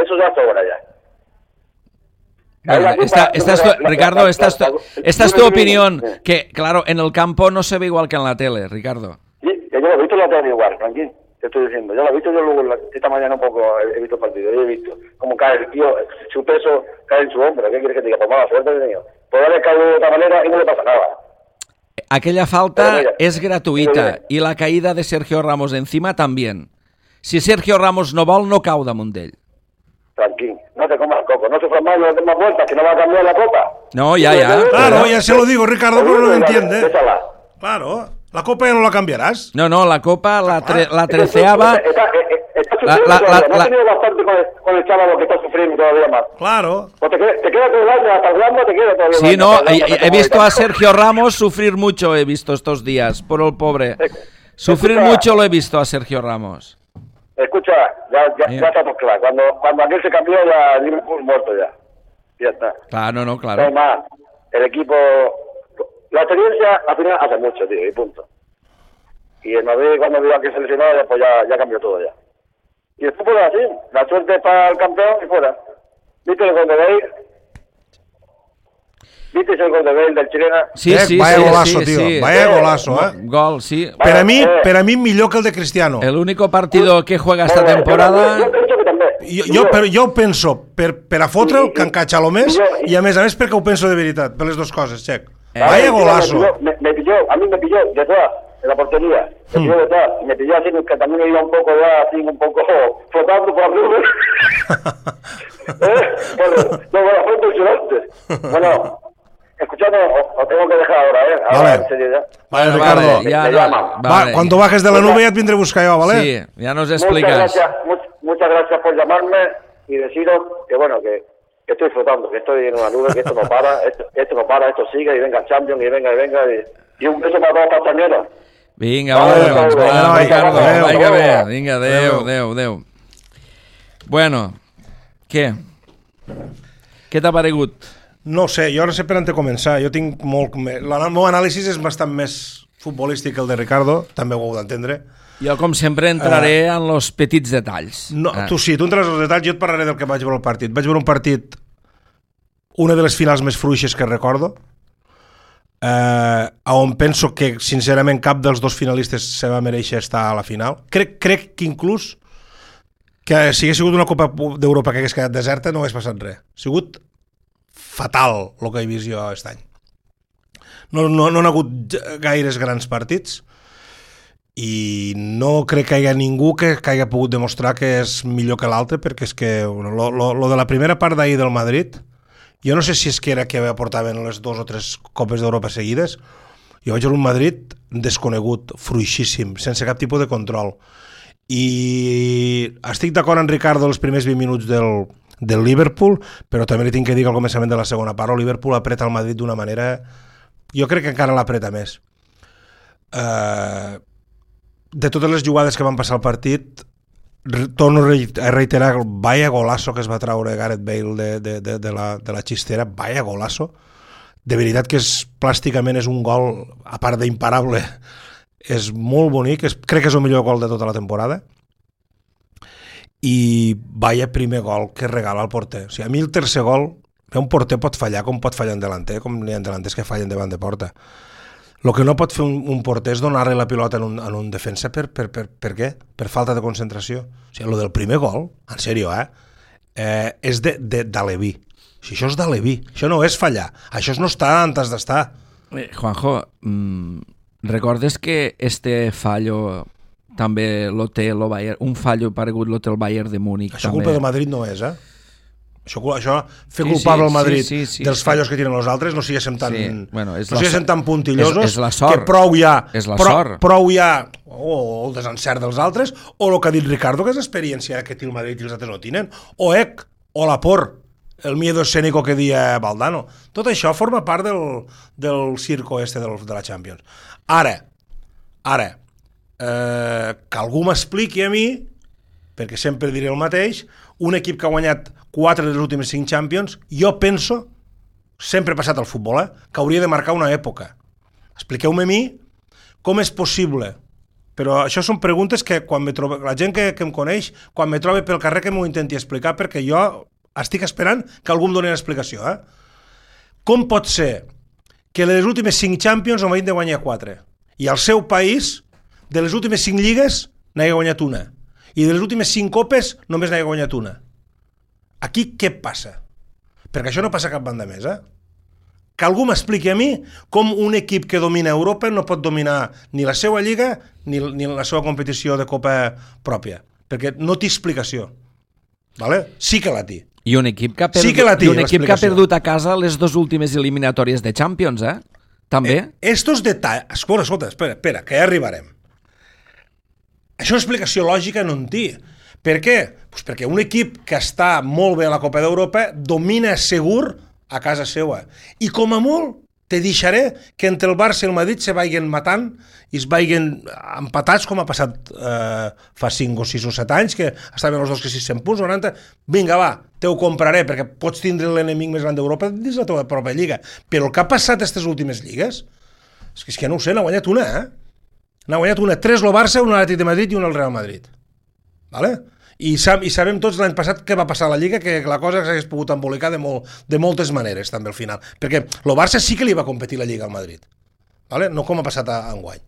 Eso ya sobra ya. Bueno, Ricardo, esta es tu opinión, que claro, en el campo no se ve igual que en la tele, Ricardo. Sí, yo lo he visto en la tele igual, tranquilo, te estoy diciendo. Yo lo he visto, yo luego esta mañana un poco he visto el partido, yo he visto cómo cae el tío, su peso cae en su hombro. ¿Qué quieres que te diga? Pues mala suerte he tenido. Podría haber caído de otra manera y no le pasa nada. Aquella falta es gratuïta i la caïda de Sergio Ramos encima también. Si Sergio Ramos no vol, no cau damunt d'ell. Tranquilo, no te comas coco, no sufras más, no des más vueltas, que no va a cambiar la copa. No, ya. Claro, ya se lo digo, Ricardo, pero no lo entiende. Claro, la copa ya no la cambiarás. No, la copa, la treceava... ¿No has tenido bastante con el chaval que está sufriendo todavía más? Claro. Pues te queda todo el año, hasta el Ramos te queda todavía. Sí, no, he visto a Sergio Ramos sufrir mucho, he visto estos días, por el pobre. Sufrir mucho lo he visto a Sergio Ramos. Escucha, ya está todo claro. Cuando aquel se cambió, ya Liverpool muerto ya. Ya está. Claro, No claro. hay más. El equipo... La experiencia al final hace mucho, tío, y punto. Y el Madrid cuando vio a que se lesionó, pues ya cambió todo ya. Y el fútbol es así. La suerte para el campeón y fuera. ¿Viste el gol de Bale? ¿Viste el gol de Bale del chilena? Sí, vaya golazo, tío. Sí. Vaya golazo, Gol, sí. Per a mi millor que el de Cristiano. El único partido que juega esta temporada... Yo pienso que també. Jo ho penso per a fotre'l, que encaja lo més, i a més perquè ho penso de veritat, per les dues coses, Check. Vaya golazo. A mí me pilló detrás, en la portería. Me pilló detrás, y me pilló así, que también iba un poco ya, así, un poco flotando por arriba. Bueno, fue impresionante. Bueno, escuchadme, os tengo que dejar ahora, Ahora, en serio ya. Vale, Ricardo. Vale. Cuando bajes de la nube ya et vindré a buscar yo, ¿vale? Sí, ya nos explicas. Muchas gracias por llamarme y deciros que, bueno, que estoy flotando, que estoy en una nube, que esto no para, esto sigue, y venga Champions, y venga, y un beso para todos los castañeros. Vinga, bueno, Ricardo, vaya bé. Vinga, adeu. Bueno, què? Què t'ha paregut? No sé, jo no sé per on te començar. Jo tinc molt... El meu anàlisi és bastant més futbolístic que el de Ricardo, també ho heu d'entendre. Jo, com sempre, entraré en los petits detalls. No, tu entres als detalls, jo et parlaré del que vaig veure el partit. Vaig veure un partit, una de les finals més fluixes que recordo, on penso que, sincerament, cap dels dos finalistes se va mereixer estar a la final. Crec que inclús que si hagués sigut una Copa d'Europa que hagués quedat deserta no hagués passat res. Ha sigut fatal el que he vist jo aquest any. No han hagut gaires grans partits i no crec que hi hagi ningú que hagi pogut demostrar que és millor que l'altre, perquè és que lo de la primera part d'ahir del Madrid, jo no sé si és que era que aportaven les 2 o 3 Copes d'Europa seguides, jo vaig veure un Madrid desconegut, fluixíssim, sense cap tipus de control. I estic d'acord amb Ricardo els primers 20 minuts del Liverpool, però també li tinc que dir que al començament de la segona part el Liverpool apreta el Madrid d'una manera, jo crec que encara l'apreta més. De totes les jugades que van passar al partit, torno a reiterar, vaya golazo que es va traure Gareth Bale de la xistera, vaya golazo. de veritat que plàsticament és un gol, a part d'imparable, és molt bonic, crec que és el millor gol de tota la temporada, i vaya primer gol que regala el porter. O sigui, a mi el tercer gol, un porter pot fallar com pot fallar un delanter, com hi ha delanters que fallen davant de porta. El que no pot fer un porter és donar-li la pilota en un defensa per què? Per falta de concentració. O sigui, el del primer gol, en sèrio, és d'Aleví. Si això és d'Aleví, això no és fallar, això no està on has d'estar. Juanjo, recordes que este fallo també lo té el Bayern, un fallo paregut lo té el Bayern de Múnich? Això també. Culpa de Madrid no és, Això fer culpable al Madrid dels fallos que tienen els altres, no siguéssim tan, tan puntillosos, és la sort. Que prou hi ha, és la sort. Prou hi ha o el desencert dels altres, o el que ha dit Ricardo, que és l'experiència que té el Madrid i els altres no tenen, o la por, el miedo escénico que dia Valdano. Tot això forma part del circo de la Champions. Ara, que algú m'expliqui a mi, perquè sempre diré el mateix, un equip que ha guanyat 4 de les últimes 5 Champions, jo penso, sempre he passat al futbol, que hauria de marcar una època. Expliqueu-me a mi com és possible. Però això són preguntes que quan la gent que em coneix, quan me trobi pel carrer, que m'ho intenti explicar, perquè jo estic esperant que algú em doni l'explicació. Com pot ser que les últimes 5 Champions el Madrid de guanyar 4 i al seu país, de les últimes 5 lligues, n'hagi guanyat una, i de les últimes 5 copes només n'hagi guanyat una? Aquí què passa? Perquè això no passa cap banda més, Que algú m'expliqui a mi com un equip que domina Europa no pot dominar ni la seva lliga ni la seva competició de copa pròpia, perquè no té explicació. Vale? Sí que la té. I un equip que ha perdut a casa les 2 últimes eliminatòries de Champions, també. Estos detalls... Escolta, espera, que ja arribarem. Això explicació lògica no en té. Per què? Pues perquè un equip que està molt bé a la Copa d'Europa domina segur a casa seva. I com a molt te deixaré que entre el Barça i el Madrid se vagin matant i es vagin empatats, com ha passat fa 5 o 6 o 7 anys, que estaven els dos que 600 punts, 90. Vinga, va, te ho compraré, perquè pots tindre l'enemic més gran d'Europa dins la teva pròpia lliga. Però el que ha passat aquestes últimes lligues, és que no ho sé, n'ha guanyat una, N'ha guanyat una. 3 el Barça, un l'Atlètic de Madrid i un el Real Madrid. Vale? I sabem tots l'any passat què va passar a la Lliga, que la cosa s'hagués pogut embolicar de moltes maneres també al final, perquè el Barça sí que li va competir la Lliga al Madrid, vale? No com ha passat enguany.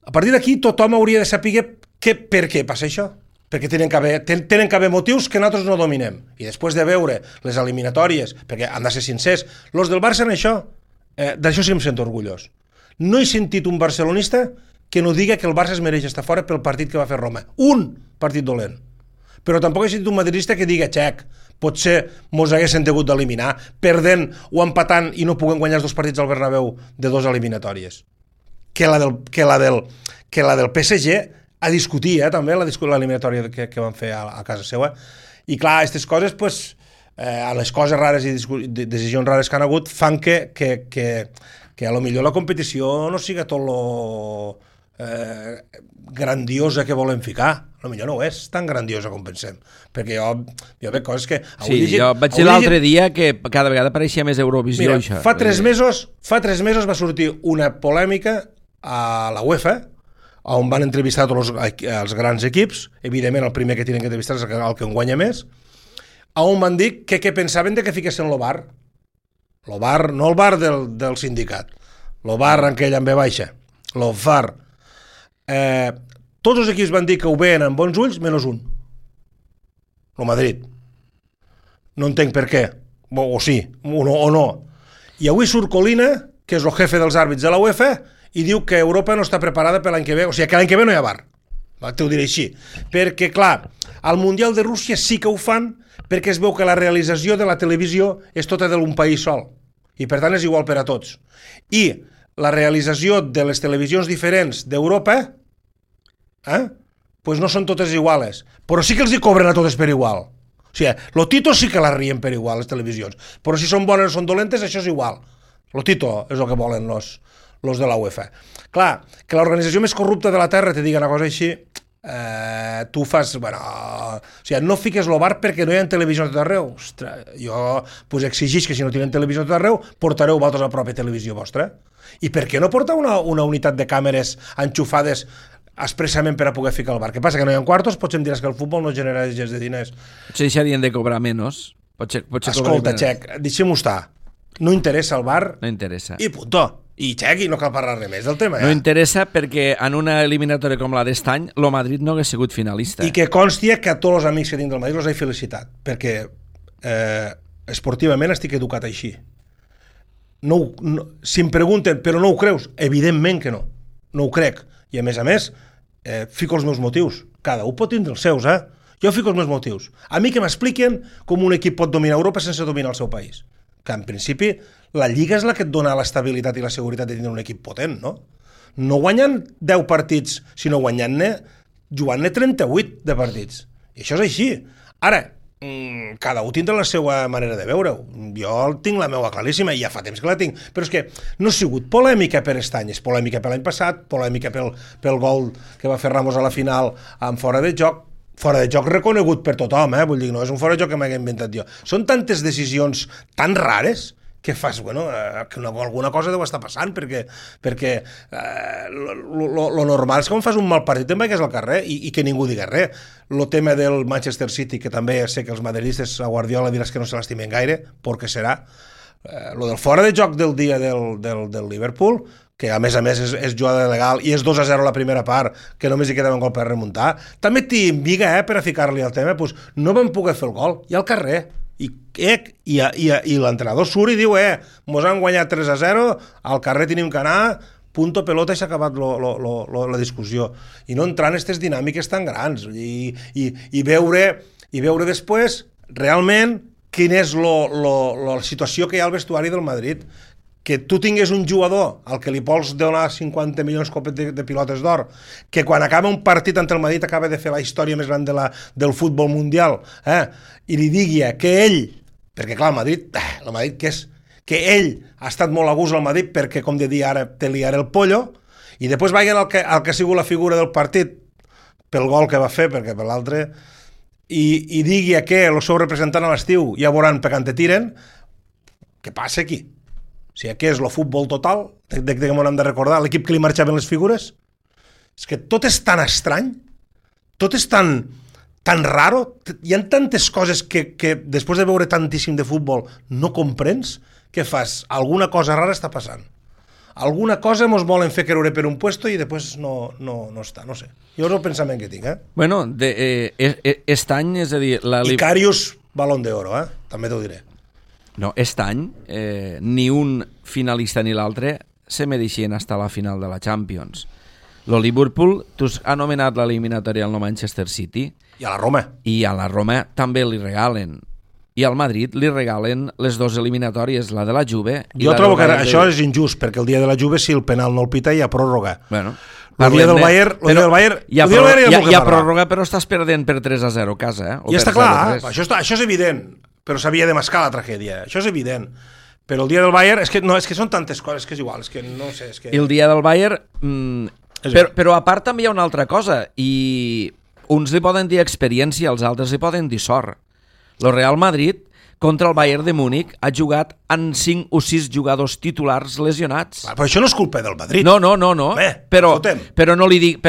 A partir d'aquí tothom hauria de saber per què passa això, perquè tenen que haver motius que nosaltres no dominem, i després de veure les eliminatòries, perquè han de ser sincers, els del Barça en això, d'això sí em sento orgullós. No he sentit un barcelonista que no diga que el Barça es mereix estar fora pel partit que va fer Roma. Un partit dolent. Però tampoc he sentit un madridista que diga, xec, potser mos haguessin hagut d'eliminar, perdent o empatant i no puguem guanyar els 2 partits al Bernabéu de 2 eliminatòries. Que la del PSG a discutir, també, l'eliminatòria que van fer a casa seva. I clar, aquestes coses, a les coses rares i decisions rares que han hagut, fan que a lo millor la competició no siga tot lo grandiosa que volen ficar. A lo millor no és tan grandiosa com pensem, perquè jo veig coses que... Jo vaig dir l'altre dia que cada vegada pareixia més Eurovisió. Mira, fa 3 mesos va sortir una polèmica a la UEFA, on van entrevistar tots els grans equips, evidentment el primer que tenen que entrevistar és el que en guanya més, on van dir que pensaven de que fiquessin el VAR. El VAR, no el VAR del sindicat, el VAR en aquell amb B baixa, el VAR. Tots els equips van dir que ho veien amb bons ulls, menys un. El Madrid. No entenc per què. O sí, o no. I avui surt Colina, que és el jefe dels àrbits de la UEFA, i diu que Europa no està preparada per l'any que ve. O sigui, que l'any que ve no hi ha VAR. T'ho diré així. Perquè, clar, al Mundial de Rússia sí que ho fan perquè es veu que la realització de la televisió és tota d'un país sol. I, per tant, és igual per a tots. I la realització de les televisions diferents d'Europa pues no són totes iguales, però sí que els hi cobren a totes per igual. O sigui, lo Tito sí que la rien per igual, les televisions, però si són bones o són dolentes, això és igual. Lo Tito és el que volen los de la UEFA. Clar, que l'organització més corrupta de la Terra te digui una cosa així, tu fas... Bueno, o sigui, no fiques el bar perquè no hi ha televisió a tot arreu. Ostres, jo pues, exigís que si no tenen televisió a tot arreu, portareu vosaltres a la pròpia televisió vostra. I per què no portar una unitat de càmeres enxufades expressament per a poder ficar el bar? Què passa, que no hi ha quartos? Potser em diràs que el futbol no genera gens de diners. Potser deixarien de cobrar menys. Escolta, Xec, deixem-ho estar. No interessa el bar. No interessa. I puntó. I Xec, i no cal parlar res més del tema. No interessa perquè en una eliminatòria com la d'estany, el Madrid no hagués sigut finalista. I que consti que a tots els amics que tinc del Madrid els he felicitat, perquè esportivament estic educat així. Si em pregunten, però no ho creus? Evidentment que no. No ho crec. I a més, fico els meus motius. Cada un pot tindre els seus, Jo fico els meus motius. A mi que m'expliquen com un equip pot dominar Europa sense dominar el seu país. Que en principi la Lliga és la que et dona l'estabilitat i la seguretat de tenir un equip potent, no? No guanyen 10 partits, sinó guanyant-ne, jugant-ne 38 de partits. I això és així. Ara, cada un tindrà la seva manera de veure-ho. Jo tinc la meva claríssima i ja fa temps que la tinc. Però és que no ha sigut polèmica per Estany, és polèmica per l'any passat, polèmica pel gol que va fer Ramos a la final amb fora de joc reconegut per tothom, vull dir, no és un fora de joc que m'he inventat jo. Són tantes decisions tan rares que fas, que alguna cosa deu estar passant, perquè lo normal és que quan fas un mal partit te'n vagis al carrer i que ningú digui res. Lo tema del Manchester City, que també sé que els madridistes a Guardiola diràs que no se l'estimen gaire, perquè serà. Lo del fora de joc del dia del Liverpool, que a més és jugada legal i és 2-0 la primera part, que només hi quedava un gol per remuntar, també t'inviga per a ficar-li al tema, doncs no vam poder fer el gol, i al carrer, i l'entrenador surt i diu, mos han guanyat 3-0, al carrer tenim que anar, punto pelota i s'ha acabat la discussió. I no entrar en aquestes dinàmiques tan grans, i veure després realment quina és la situació que hi ha al vestuari del Madrid. Que tu tingués un jugador al que li vols donar 50 milions de pilotes d'or, que quan acaba un partit entre el Madrid acaba de fer la història més gran del futbol mundial, i li digui que ell, perquè clar, el Madrid què és? Que ell ha estat molt a gust al Madrid perquè, com de dir ara, te liaré el pollo, i després vagin al que ha sigut la figura del partit pel gol que va fer, perquè per l'altre, i digui que el seu representant a l'estiu ja veuran per quan te tiren, què passa aquí? O sigui, què és el futbol total, de què m'ho hem de recordar, l'equip que li marxaven les figures? És que tot és tan estrany, tot és tan raro, hi ha tantes coses que després de veure tantíssim de futbol no comprens, què fas? Alguna cosa rara està passant. Alguna cosa mos volen fer creure per un puesto i després no està, no sé. Jo és el pensament que tinc, Bueno, estany, és a dir... Icarius, balón d'oro, també t'ho diré. No, aquest any ni un finalista ni l'altre se mereixien estar a la final de la Champions. El Liverpool, tu has anomenat l'eliminatòria al Manchester City. I a la Roma. I a la Roma també li regalen. I al Madrid li regalen les dues eliminatòries, la de la Juve... Jo trobo que això és injust, perquè el dia de la Juve, si el penal no el pita, hi ha pròrroga. Bueno... El dia del Bayern hi ha pròrroga, però estàs perdent per 3-0 a casa, I està clar, això és evident. Però s'havia de mascar la tragèdia, això és evident. Però el dia del Bayern, és que són tantes coses que és igual, és que no sé... El dia del Bayern... Però a part també hi ha una altra cosa, i uns li poden dir experiència, els altres li poden dir sort. El Real Madrid, contra el Bayern de Múnich, ha jugat amb 5 o 6 jugadors titulars lesionats. Però això no és culpa del Madrid. No. Però no li dic...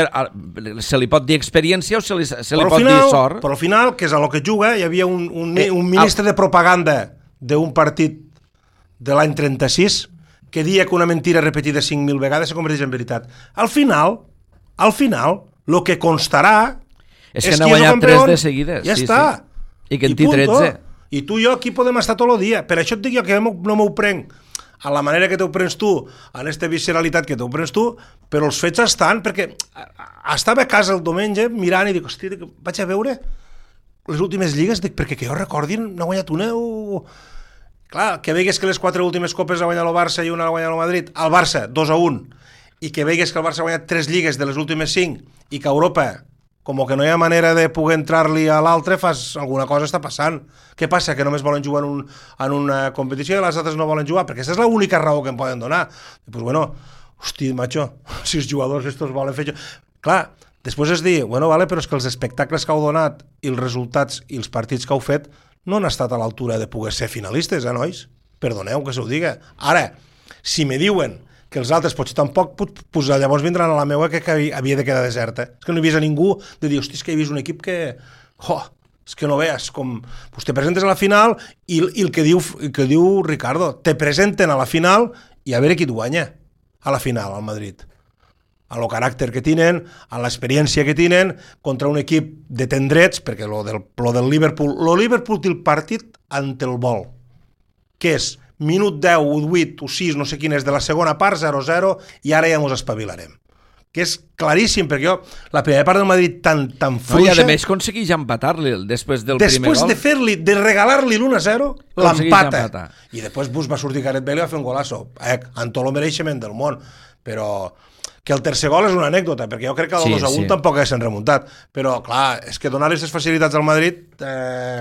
Se li pot dir experiència o se li pot dir sort? Però al final, que és a lo que juga, hi havia un ministre de propaganda d'un partit de l'any 36 que dia que una mentira repetida 5.000 vegades se converteix en veritat. Al final, el que constarà és que n'ha guanyat 3 de seguides. Ja està. I que en té 13. I tu i jo aquí podem estar tot el dia. Per això et dic jo que no m'ho prenc a la manera que t'ho prens tu, en aquesta visceralitat que t'ho prens tu, però els fets estan, perquè estava a casa el diumenge mirant i dic, hòstia, vaig a veure les últimes lligues, dic, perquè que jo recordi n'ha guanyat una o... Clar, que veigues que les 4 últimes copes ha guanyat el Barça i una ha guanyat el Madrid, el Barça 2-1, i que veigues que el Barça ha guanyat 3 lligues de les últimes 5 i que Europa... com que no hi ha manera de poder entrar-li a l'altre, alguna cosa està passant. Què passa? Que només volen jugar en una competició i les altres no volen jugar? Perquè aquesta és l'única raó que em poden donar. I doncs, bueno, hosti, macho, si els jugadors estos volen fer... Clar, Després es dir, bueno, vale, però és que els espectacles que heu donat i els resultats i els partits que heu fet no han estat a l'altura de poder ser finalistes, nois? Perdoneu que se ho diga. Ara, si me diuen que els altres potser tampoc, pues llavors vindran a la meua que havia de quedar deserta. És que no he vist a ningú de dir, hosti, és que he vist un equip que... és que no veus com... Pues te presentes a la final i el que diu Ricardo, te presenten a la final i a veure qui et guanya a la final, al Madrid. A lo caràcter que tenen, a l'experiència que tenen, contra un equip de tendrets, perquè lo del Liverpool... Lo Liverpool té el partit ante el vol, que és minut 10, o 8, o 6, no sé quin és, de la segona part, 0-0, i ara ja ens espavilarem. Que és claríssim, perquè jo, la primera part del Madrid tan fluixa... I a més aconsegueix empatar-li després del primer gol. Després de regalar-li l'1-0, l'empata. I després va sortir Gareth Bale i va fer un golazo. Amb tot el mereixement del món. Però que el tercer gol és una anècdota, perquè jo crec que el 2-1 tampoc haguessin remuntat. Però, clar, és que donar aquestes facilitats al Madrid...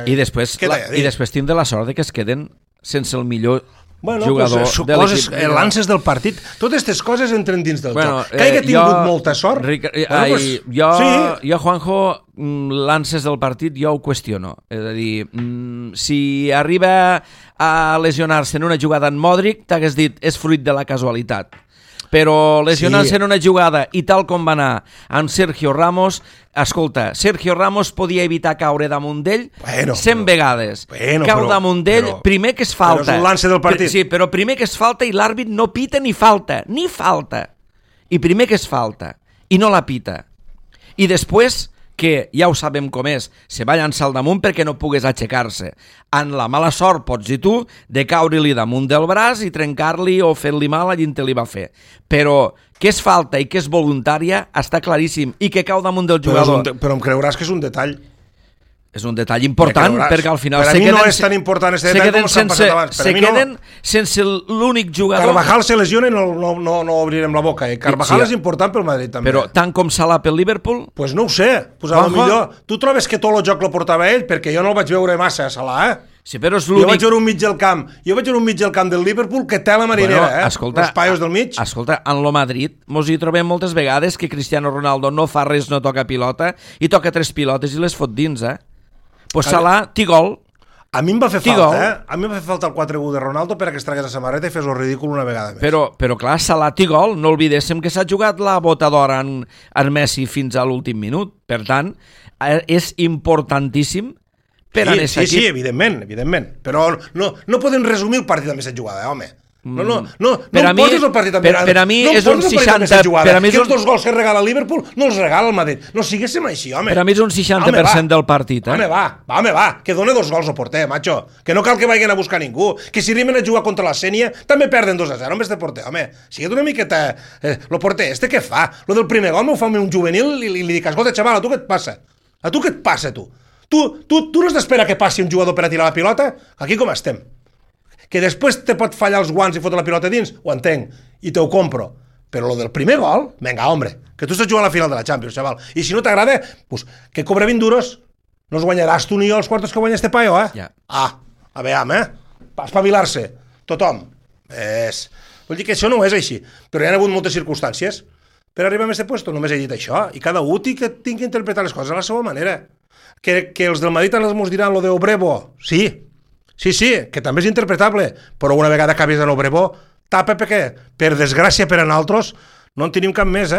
I després tindre la sort de que es queden sense el millor jugador de l'equip. Lances del partit, totes aquestes coses entren dins del joc. Que hagi tingut molta sort. Jo, Juanjo, lances del partit jo ho qüestiono. És a dir, si arriba a lesionar-se en una jugada en Modric, t'hagués dit, és fruit de la casualitat. Però lesionar-se en una jugada i tal com va anar amb Sergio Ramos, escolta, Sergio Ramos podia evitar caure damunt d'ell 100 vegades. Cau damunt d'ell, primer que es falta. Però és un lance del partit. Sí, però primer que es falta i l'àrbit no pita ni falta. I primer que es falta i no la pita. I després que ja ho sabem com és, se va llançar al damunt perquè no pogués aixecar-se. En la mala sort, pots dir tu, de caure-li damunt del braç i trencar-li o fer-li mal a qui te li va fer. Però que és falta i que és voluntària està claríssim, i que cau damunt del jugador. Però em creuràs que és un detall. És un detall important, perquè al final... Per a mi no és tan important aquest detall com s'han passat abans. Se queden sense l'únic jugador... Carvajal se lesiona i no obrirem la boca. Carvajal és important pel Madrid també. Però tant com Salah pel Liverpool... Pues no ho sé. Pues a lo millor tu trobes que tot el joc lo portava ell, perquè jo no el vaig veure massa a Salah, Sí, però és l'únic... Jo vaig veure un mig del camp del Liverpool que té la marinera, escolta, els paios del mig. Escolta, en lo Madrid mos hi trobem moltes vegades que Cristiano Ronaldo no fa res, no toca pilota, i toca 3 pilotes i les fot dins, Pues Salah, té gol. A mi em va fer falta, A mi em va fer falta el 4-1 de Ronaldo per a que es tragués la samarreta i fes el ridícul una vegada més. Però clar, Salah té gol. No oblidéssim que s'ha jugat la bota d'or en Messi fins a l'últim minut. Per tant, és importantíssim per a aquest equip. Sí, evidentment. Però no podem resumir el partit amb aquesta jugada, home. No poses el partit amb mirada. Per a mi és un 60... Que els 2 gols que regala el Liverpool no els regala el Madrid. No siguéssim així, home. Per a mi és un 60% del partit, Home, va. Que dona 2 gols al porter, macho. Que no cal que vagin a buscar ningú. Que si arriben a jugar contra la Sènia també perden 2-0 amb este porter, home. Sigue't una miqueta... Lo porter, què fa? Lo del primer gol m'ho fa un juvenil i li dic, escolta, xaval, a tu què et passa? Tu no has d'esperar que passi un jugador per a tirar la pilota? Aquí com estem? Que després te pot fallar els guants i fotre la pilota dins, ho entenc, i te ho compro. Però lo del primer gol, venga, hombre, que tu estàs jugant a la final de la Champions, xaval. I si no t'agrada, pues, que cobra 20 duros, no els guanyaràs tu ni jo els quartos que guanya este paio, Ja. A veure, espavilar-se, tothom. Vull dir que això no és així, però hi ha hagut moltes circumstàncies per arribar a aquest puesto, només he dit això, i cada un tingui que interpretar les coses a la seva manera. Que els del Madrid ens mos diran lo de Obrevo, Sí, que també és interpretable, però una vegada acabis en Obrevo, tapa perquè, per desgràcia per a nosaltres, no en tenim cap més,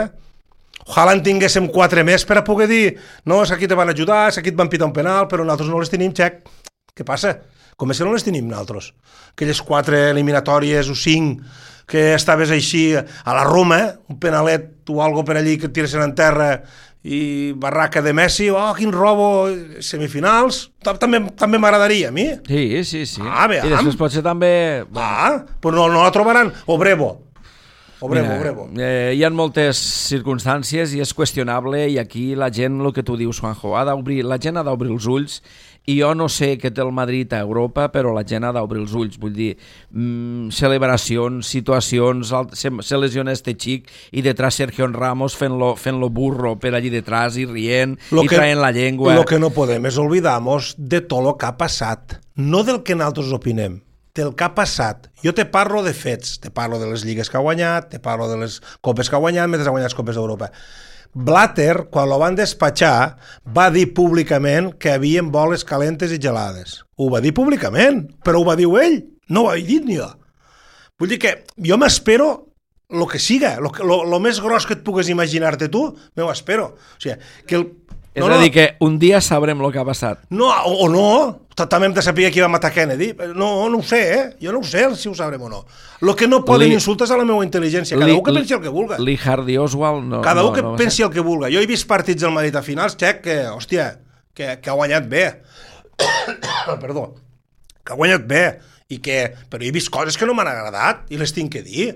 Ojalà en tinguéssim 4 més per a poder dir, no, és que aquí te van ajudar, és que aquí et van pitar un penal, però nosaltres no les tenim, xec. Què passa? Com és que no les tenim nosaltres? Aquelles 4 eliminatòries o 5 que estaves així a la Roma, un penalet o algo per allí que et tiressin en terra i barraca de Messi, quin robo, semifinals, també m'agradaria a mi. Sí. I després potser també... Però no la trobaran. Obrevo. Hi ha moltes circumstàncies i és qüestionable, i aquí la gent, el que tu dius, Juanjo, la gent ha d'obrir els ulls, i jo no sé què té el Madrid a Europa, però la gent ha d'obrir els ulls, vull dir, celebracions, situacions, se lesiona este xic i detrás Sergio Ramos fent-lo burro per allí detrás i rient i traient la llengua. Lo que no podem és oblidar-nos de tot el que ha passat, no del que nosaltres opinem, del que ha passat. Jo te parlo de fets, te parlo de les lligues que ha guanyat, te parlo de les copes que ha guanyat, mentre ha guanyat les copes d'Europa. Blatter, quan lo van despatxar, va dir públicament que havien boles calentes i gelades. Ho va dir públicament, però ho va dir ell, no ho he dit ni jo. Vull dir que jo m'espero el que siga, lo més gros que et pugues imaginar-te tu, m'ho espero. O sigui, que és a dir, que un dia sabrem el que ha passat. No, o no, també hem de saber qui va matar Kennedy. No ho sé, jo no ho sé si ho sabrem o no. El que no poden insultes a la meva intel·ligència. Cada un que pensi el que vulga. Lee Hardy Oswald no. Cada un que pensi el que vulga. Jo he vist partits del Madrid a finals, Xec, que, hòstia, que ha guanyat bé. Perdó. Que ha guanyat bé. Però he vist coses que no m'han agradat i les tinc que dir.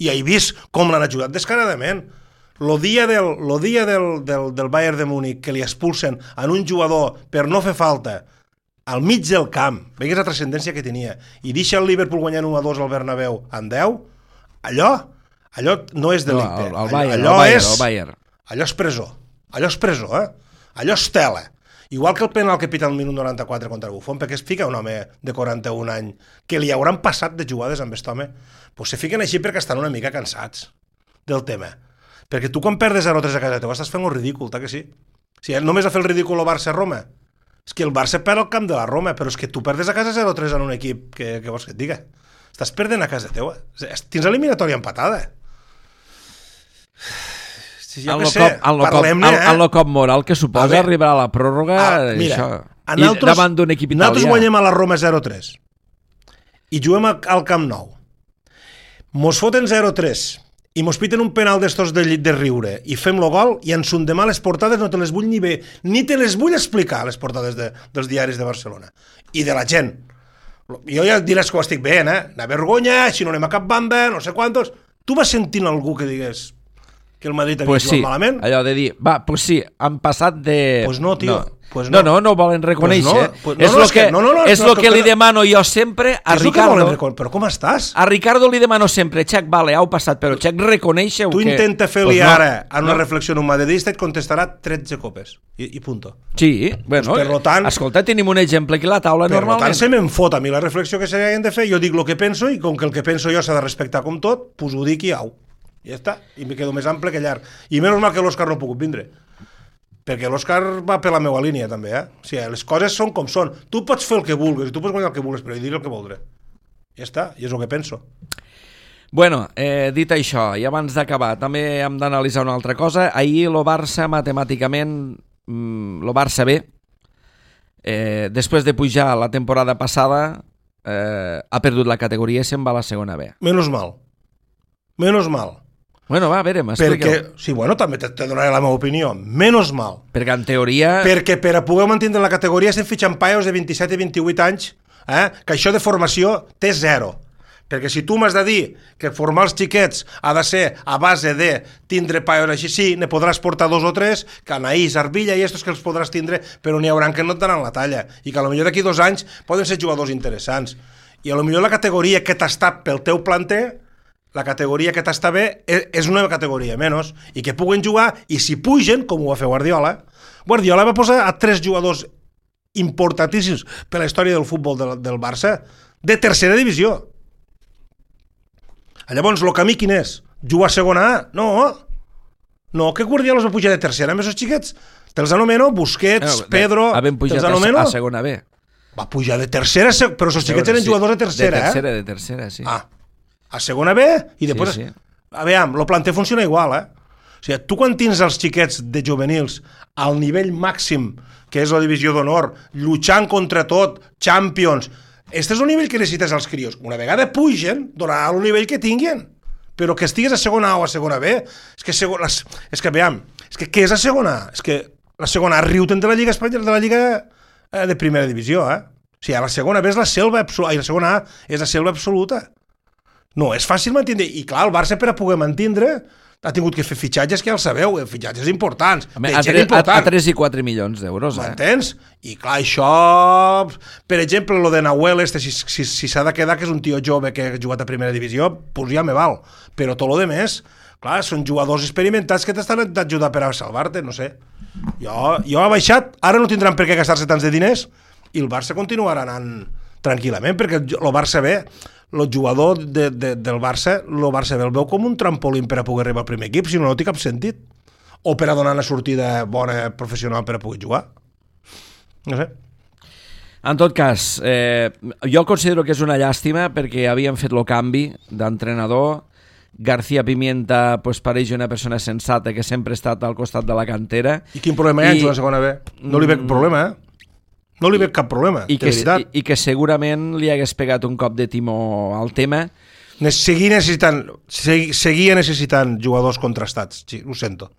I he vist com l'han ajudat descaradament. Lo dia del Bayern de Múnich que li expulsen en un jugador per no fer falta al mig del camp, veigues la transcendència que tenia, i deixa el Liverpool guanyant 1-2 al Bernabéu en 10, allò no és delicte. No, el Bayern. Allò és presó. Allò és tela. Igual que el penal que pita al minut 94 contra Buffon, perquè es fica un home de 41 anys que li hauran passat de jugades amb aquest home, doncs se fiquen així perquè estan una mica cansats del tema. Perquè tu quan perdes 0-3 a casa teva estàs fent un ridícul, que sí? Si només ha fet el ridícul el Barça-Roma. És que el Barça perd el camp de la Roma, però és que tu perdes a casa 0-3 en un equip que vols que et diga. Estàs perdent a casa teva. Tens eliminatòria empatada. Si ja que sé, parlem-ne, el cop moral que suposa arribar a la pròrroga davant d'un equip italià. Nosaltres guanyem a la Roma 0-3 i juguem al Camp Nou. Mos foten 0-3 i mos piten un penal d'estos de riure i fem-lo gol i ens són demà les portades no te les vull ni te les vull explicar, les portades dels diaris de Barcelona i de la gent. Jo ja diràs que ho estic veient, la vergonya, si no anem a cap banda, no sé quantos. Tu vas sentint algú que digués que el Madrid havia jugat malament? Allò de dir, pues sí, han passat de... Pues no, tio. No ho volen reconèixer. És el que li demano jo sempre a Ricardo. Però com estàs? A Ricardo li demano sempre, Xec, vale, heu passat, però Xec, reconeixeu que... Tu intenta fer-li ara en una reflexió en un madridista et contestarà 13 copes. I punto. Sí, bueno, escolta, tenim un exemple aquí a la taula normalment. Per tant, se me'n fot a mi la reflexió que s'hagin de fer, jo dic el que penso i com que el que penso jo s'ha de respectar com tot, pues ho dic i au. Ja està, i me quedo més ample que llarg. I menys mal que l'Òscar no ha pogut vindre, perquè l'Òscar va per la meva línia també, O sigui, les coses són com són. Tu pots fer el que vulguis, tu pots guanyar el que vulguis, però jo diré el que voldré. Ja està, i és el que penso. Bueno, dit això, i abans d'acabar, també hem d'analitzar una altra cosa. Ahir el Barça, matemàticament, el Barça B, després de pujar la temporada passada, ha perdut la categoria i se'n va a la segona B. Menos mal. Bueno, va, a veure, m'expliqueu. Sí, bueno, també te donaré la meva opinió. Menos mal. Perquè en teoria... Perquè per a poder mantenir la categoria estem fitxant paios de 27 i 28 anys, que això de formació té 0. Perquè si tu m'has de dir que formar els xiquets ha de ser a base de tindre paios així, sí, ne podràs portar 2 o 3, Canaís, Arbilla i estos que els podràs tindre, però n'hi hauran que no et daran la talla. I que potser d'aquí 2 anys poden ser jugadors interessants. I potser la categoria que t'està pel teu planter, la categoria que t'està bé és una categoria menys, i que puguen jugar, i si pugen, com ho va fer Guardiola va posar a 3 jugadors importantíssims per la història del futbol del Barça, de tercera divisió. Llavors, el camí quin és? Jugar a segona A? No, que Guardiola es va pujar de tercera amb aquests xiquets. Te'ls anomeno Busquets, Pedro, te'ls anomeno... a segona B. Va pujar de tercera, però els xiquets eren jugadors de tercera, De tercera, sí. A segona B, i després... Sí. Aviam, el planter funciona igual, O sigui, tu quan tens els xiquets de juvenils al nivell màxim, que és la divisió d'honor, lluitant contra tot, Champions, este és el nivell que necessites als crios. Una vegada pugen, donarà el nivell que tinguin. Però que estigues a segona A o a segona B, què és a segona A? És que la segona A riu-te'n de la Lliga Espanyola, de la Lliga de primera divisió, O sigui, la segona B és la selva absoluta, i la segona A és la selva absoluta. No, és fàcil mantenir. I clar, el Barça per a poder mantindre ha tingut que fer fitxatges que ja el sabeu, fitxatges importants. A 3 i 4 milions d'euros. M'entens? I clar, això... Per exemple, lo de Nahuel, si s'ha de quedar que és un tio jove que ha jugat a primera divisió, doncs ja me val. Però tot lo de més, clar, són jugadors experimentats que t'estan d'ajudar per a salvar-te, no sé. Jo ha baixat, ara no tindran per què gastar-se tants de diners i el Barça continuarà anant tranquil·lament, perquè el Barça B... el jugador del Barça, el Barça el veu com un trampolín per a poder arribar al primer equip, si no té cap sentit. o per a donar una sortida bona professional per a poder jugar. No sé. En tot cas, jo considero que és una llàstima perquè havien fet el canvi d'entrenador. García Pimienta pues, pareix una persona sensata que sempre ha estat al costat de la cantera. I quin problema hi ha en jugar a segona B? No li veig problema, No li veig cap problema, de veritat. I que segurament li hagués pegat un cop de timó al tema. Seguia necessitant jugadors contrastats, sí, ho sento.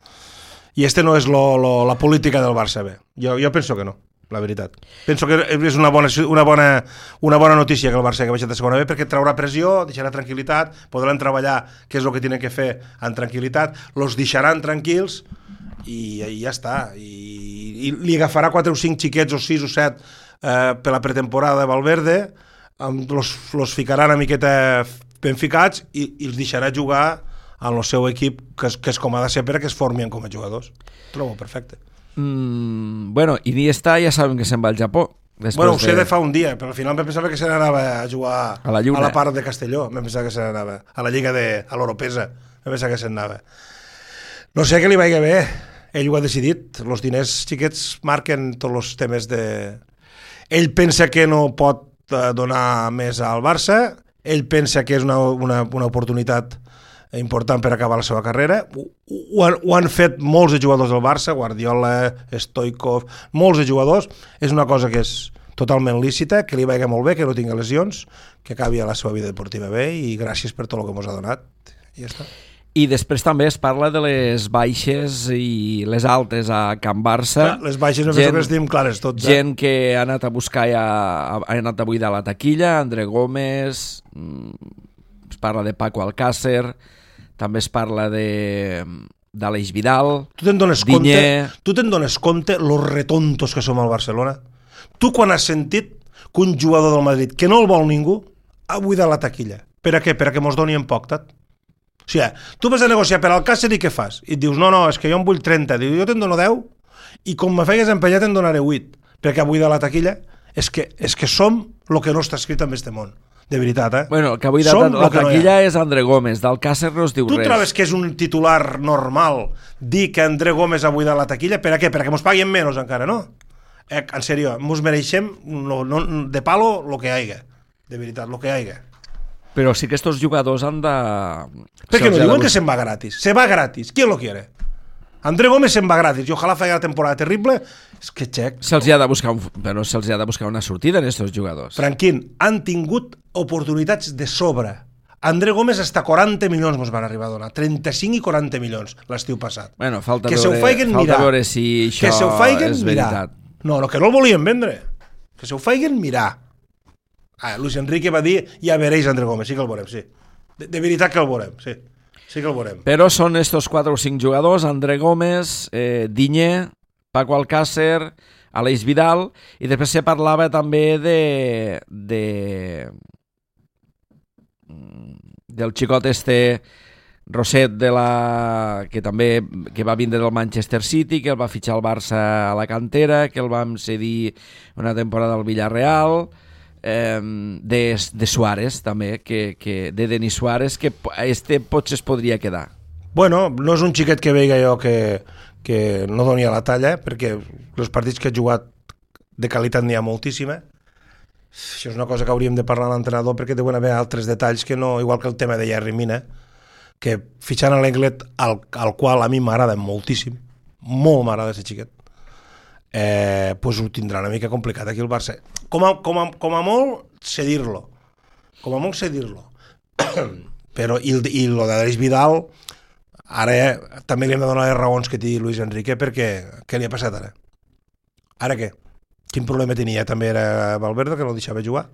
I no és la política del Barça B. Jo penso que no, la veritat. Penso que és una bona notícia que el Barça que baixat de segona B, perquè traurà pressió, deixarà tranquil·litat, podran treballar què és el que tenen que fer en tranquil·litat, los deixaran tranquils i ja està. I li agafarà 4 o 5 xiquets o 6 o 7 per la pretemporada de Valverde, los ficarà una miqueta ben ficats i els deixarà jugar en el seu equip, que és com ha de ser perquè es formin com a jugadors. Trobo perfecte. Bueno, Iniesta ja sabem que se'n va al Japó. Bueno, ho sé de fa un dia, però al final em pensava que se n'anava a jugar a la part de Castelló. Em pensava que se n'anava a la Lliga a l'Europesa. Em pensava que se n'anava. No sé que li vagi bé. Ell ho ha decidit. Els diners xiquets marquen tots els temes de... Ell pensa que no pot donar més al Barça. Ell pensa que és una oportunitat important per acabar la seva carrera. Ho han fet molts de jugadors del Barça, Guardiola, Stoichkov, molts de jugadors. És una cosa que és totalment lícita, que li vagi molt bé, que no tingui lesions, que acabi a la seva vida deportiva bé i gràcies per tot el que ens ha donat. I ja està. I després també es parla de les baixes i les altes a Can Barça. Les baixes no penso que estem clares tots. Gent que ha anat a buscar ja, ha anat a buidar la taquilla, André Gómez, es parla de Paco Alcácer, també es parla d'Aleix Vidal, Tu te'n dones compte los retontos que som al Barcelona? Tu quan has sentit que un jugador del Madrid que no el vol ningú ha buidat la taquilla? Per a què? Per a que mos doni en poc, tat? O sigui, tu vas a negociar per Alcácer i què fas? I et dius, no, és que jo en vull 30. Diu, jo te'n dono 10 i com me fegues empenyar te'n donaré 8. Perquè avui de la taquilla és que som el que no està escrit en este món. De veritat, Bueno, el que avui de la taquilla és André Gómez. D'Alcácer no es diu res. Tu trobes que és un titular normal dir que André Gómez ha buidat la taquilla? Per a què? Perquè mos paguen menys encara, no? En sèrio, mos mereixem de palo lo que haiga. De veritat, lo que haiga. Però sí que estos jugadors han de... Perquè no diuen que se'n va gratis. Se va gratis. ¿Quién lo quiere? André Gómez se'n va gratis i ojalà faci la temporada terrible. És que xec. Se'ls ha de buscar una sortida en estos jugadors. Franquín, han tingut oportunitats de sobre. André Gómez hasta 40 milions mos van arribar a donar. 35 i 40 milions l'estiu passat. Bueno, falta veure si això és veritat. No, que no el volien vendre. Que se ho feien mirar. Luis Enrique va dir, ja veréis André Gómez, sí que el veurem, sí. De veritat que el veurem, sí. Sí que el veurem. Però són estos 4 o 5 jugadors, André Gómez, Diñé, Paco Alcácer, Aleix Vidal, i després se parlava també del xicot Roset que va vindre del Manchester City, que el va fitxar al Barça a la cantera, que el vam cedir una temporada al Villarreal, de Suárez també, de Denis Suárez, que potser es podria quedar. Bueno, no és un xiquet que veiga jo que no doni a la talla, perquè els partits que ha jugat de qualitat n'hi ha moltíssima. Això és una cosa que hauríem de parlar amb l'entrenador, perquè deuen haver altres detalls que no, igual que el tema de Yerry Mina, que fitxant a l'Englet, al qual a mi m'agrada moltíssim, molt m'agrada aquest xiquet, pues ho tindrà una mica complicat aquí el Barça. Com a molt cedir-lo. Però i lo d'Aleix Vidal ara també li hem de donar les raons que té Luis Enrique, perquè què li ha passat ara? Ara què? Quin problema tenia? També era Valverde, que no el deixava jugar?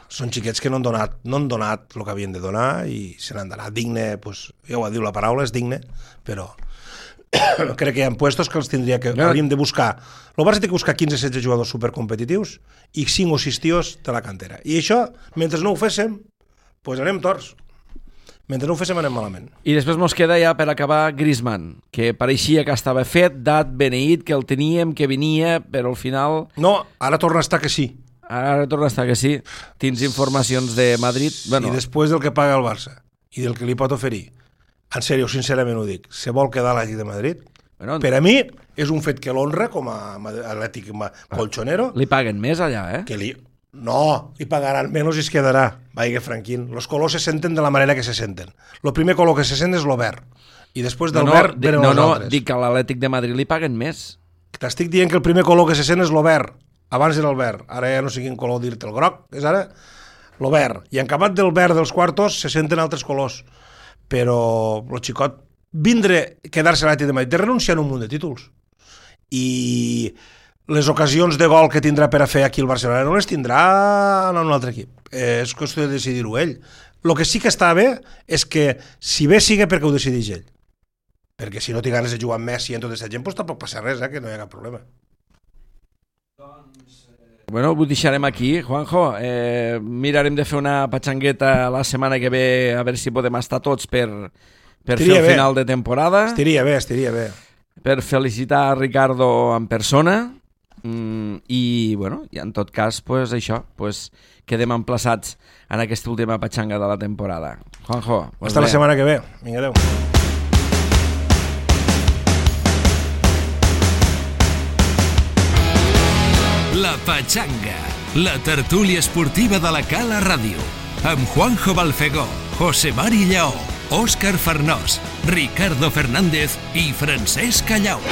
Són xiquets que no han donat el que havien de donar i se n'han d'anar. Digne, pues, ja ho ha dit la paraula, és digne, però crec que hi ha puestos que els tindria que hauríem de buscar. El Barça té que buscar 15-16 jugadors supercompetitius i 5 o 6 tios de la cantera. I això, mentre no ho féssim, pues anem torts. Mentre no ho féssim anem malament. I després mos queda ja per acabar Griezmann, que pareixia que estava fet, dat, beneït, que el teníem, que venia, però al final... No, ara torna a estar que sí. Ara torna a estar que sí. Tens informacions de Madrid? Bueno. I després del que paga el Barça i del que li pot oferir en sèrio, sincerament ho dic, se vol quedar a l'Atlètic de Madrid, Bueno, per a mi és un fet que l'honra com a atlètic colchonero. li paguen més allà, No, li pagaran menys i es quedarà. Vaiga, Franquín. Los colors se senten de la manera que se senten. El primer color que se sent és el verd. I després del verd venen els altres. Dic que a l'Atlètic de Madrid li paguen més. T'estic dient que el primer color que se sent és el verd. Abans era el verd. Ara ja no sé quin color dir-te. El groc és ara el verd. I en acabat del verd dels quartos se senten altres colors. Però el xicot vindre, quedar-se a l'Atlètic de Madrid, de renunciar a un munt de títols. I les ocasions de gol que tindrà per a fer aquí el Barcelona no les tindrà en un altre equip. És qüestió de decidir-ho ell. El que sí que està bé és que, si bé siga perquè ho decideix ell. Perquè si no té ganes de jugar amb Messi i en tota aquesta gent, doncs tampoc passa res, que no hi ha cap problema. Bueno, ho deixarem aquí, Juanjo. Mirarem de fer una patxangueta la setmana que ve, a veure si podem estar tots per fer el final de temporada. Estaria bé. Per felicitar a Ricardo en persona. I, bueno, i en tot cas, pues, això, pues, quedem emplaçats en aquesta última patxanga de la temporada. Juanjo, pues hasta la setmana que ve. Vinga, adeu. La Patxanga, la tertúlia esportiva de la Cala Ràdio, amb Juanjo Balfegó, José Mari Lleó, Òscar Farnós, Ricardo Fernández i Francesc Callau.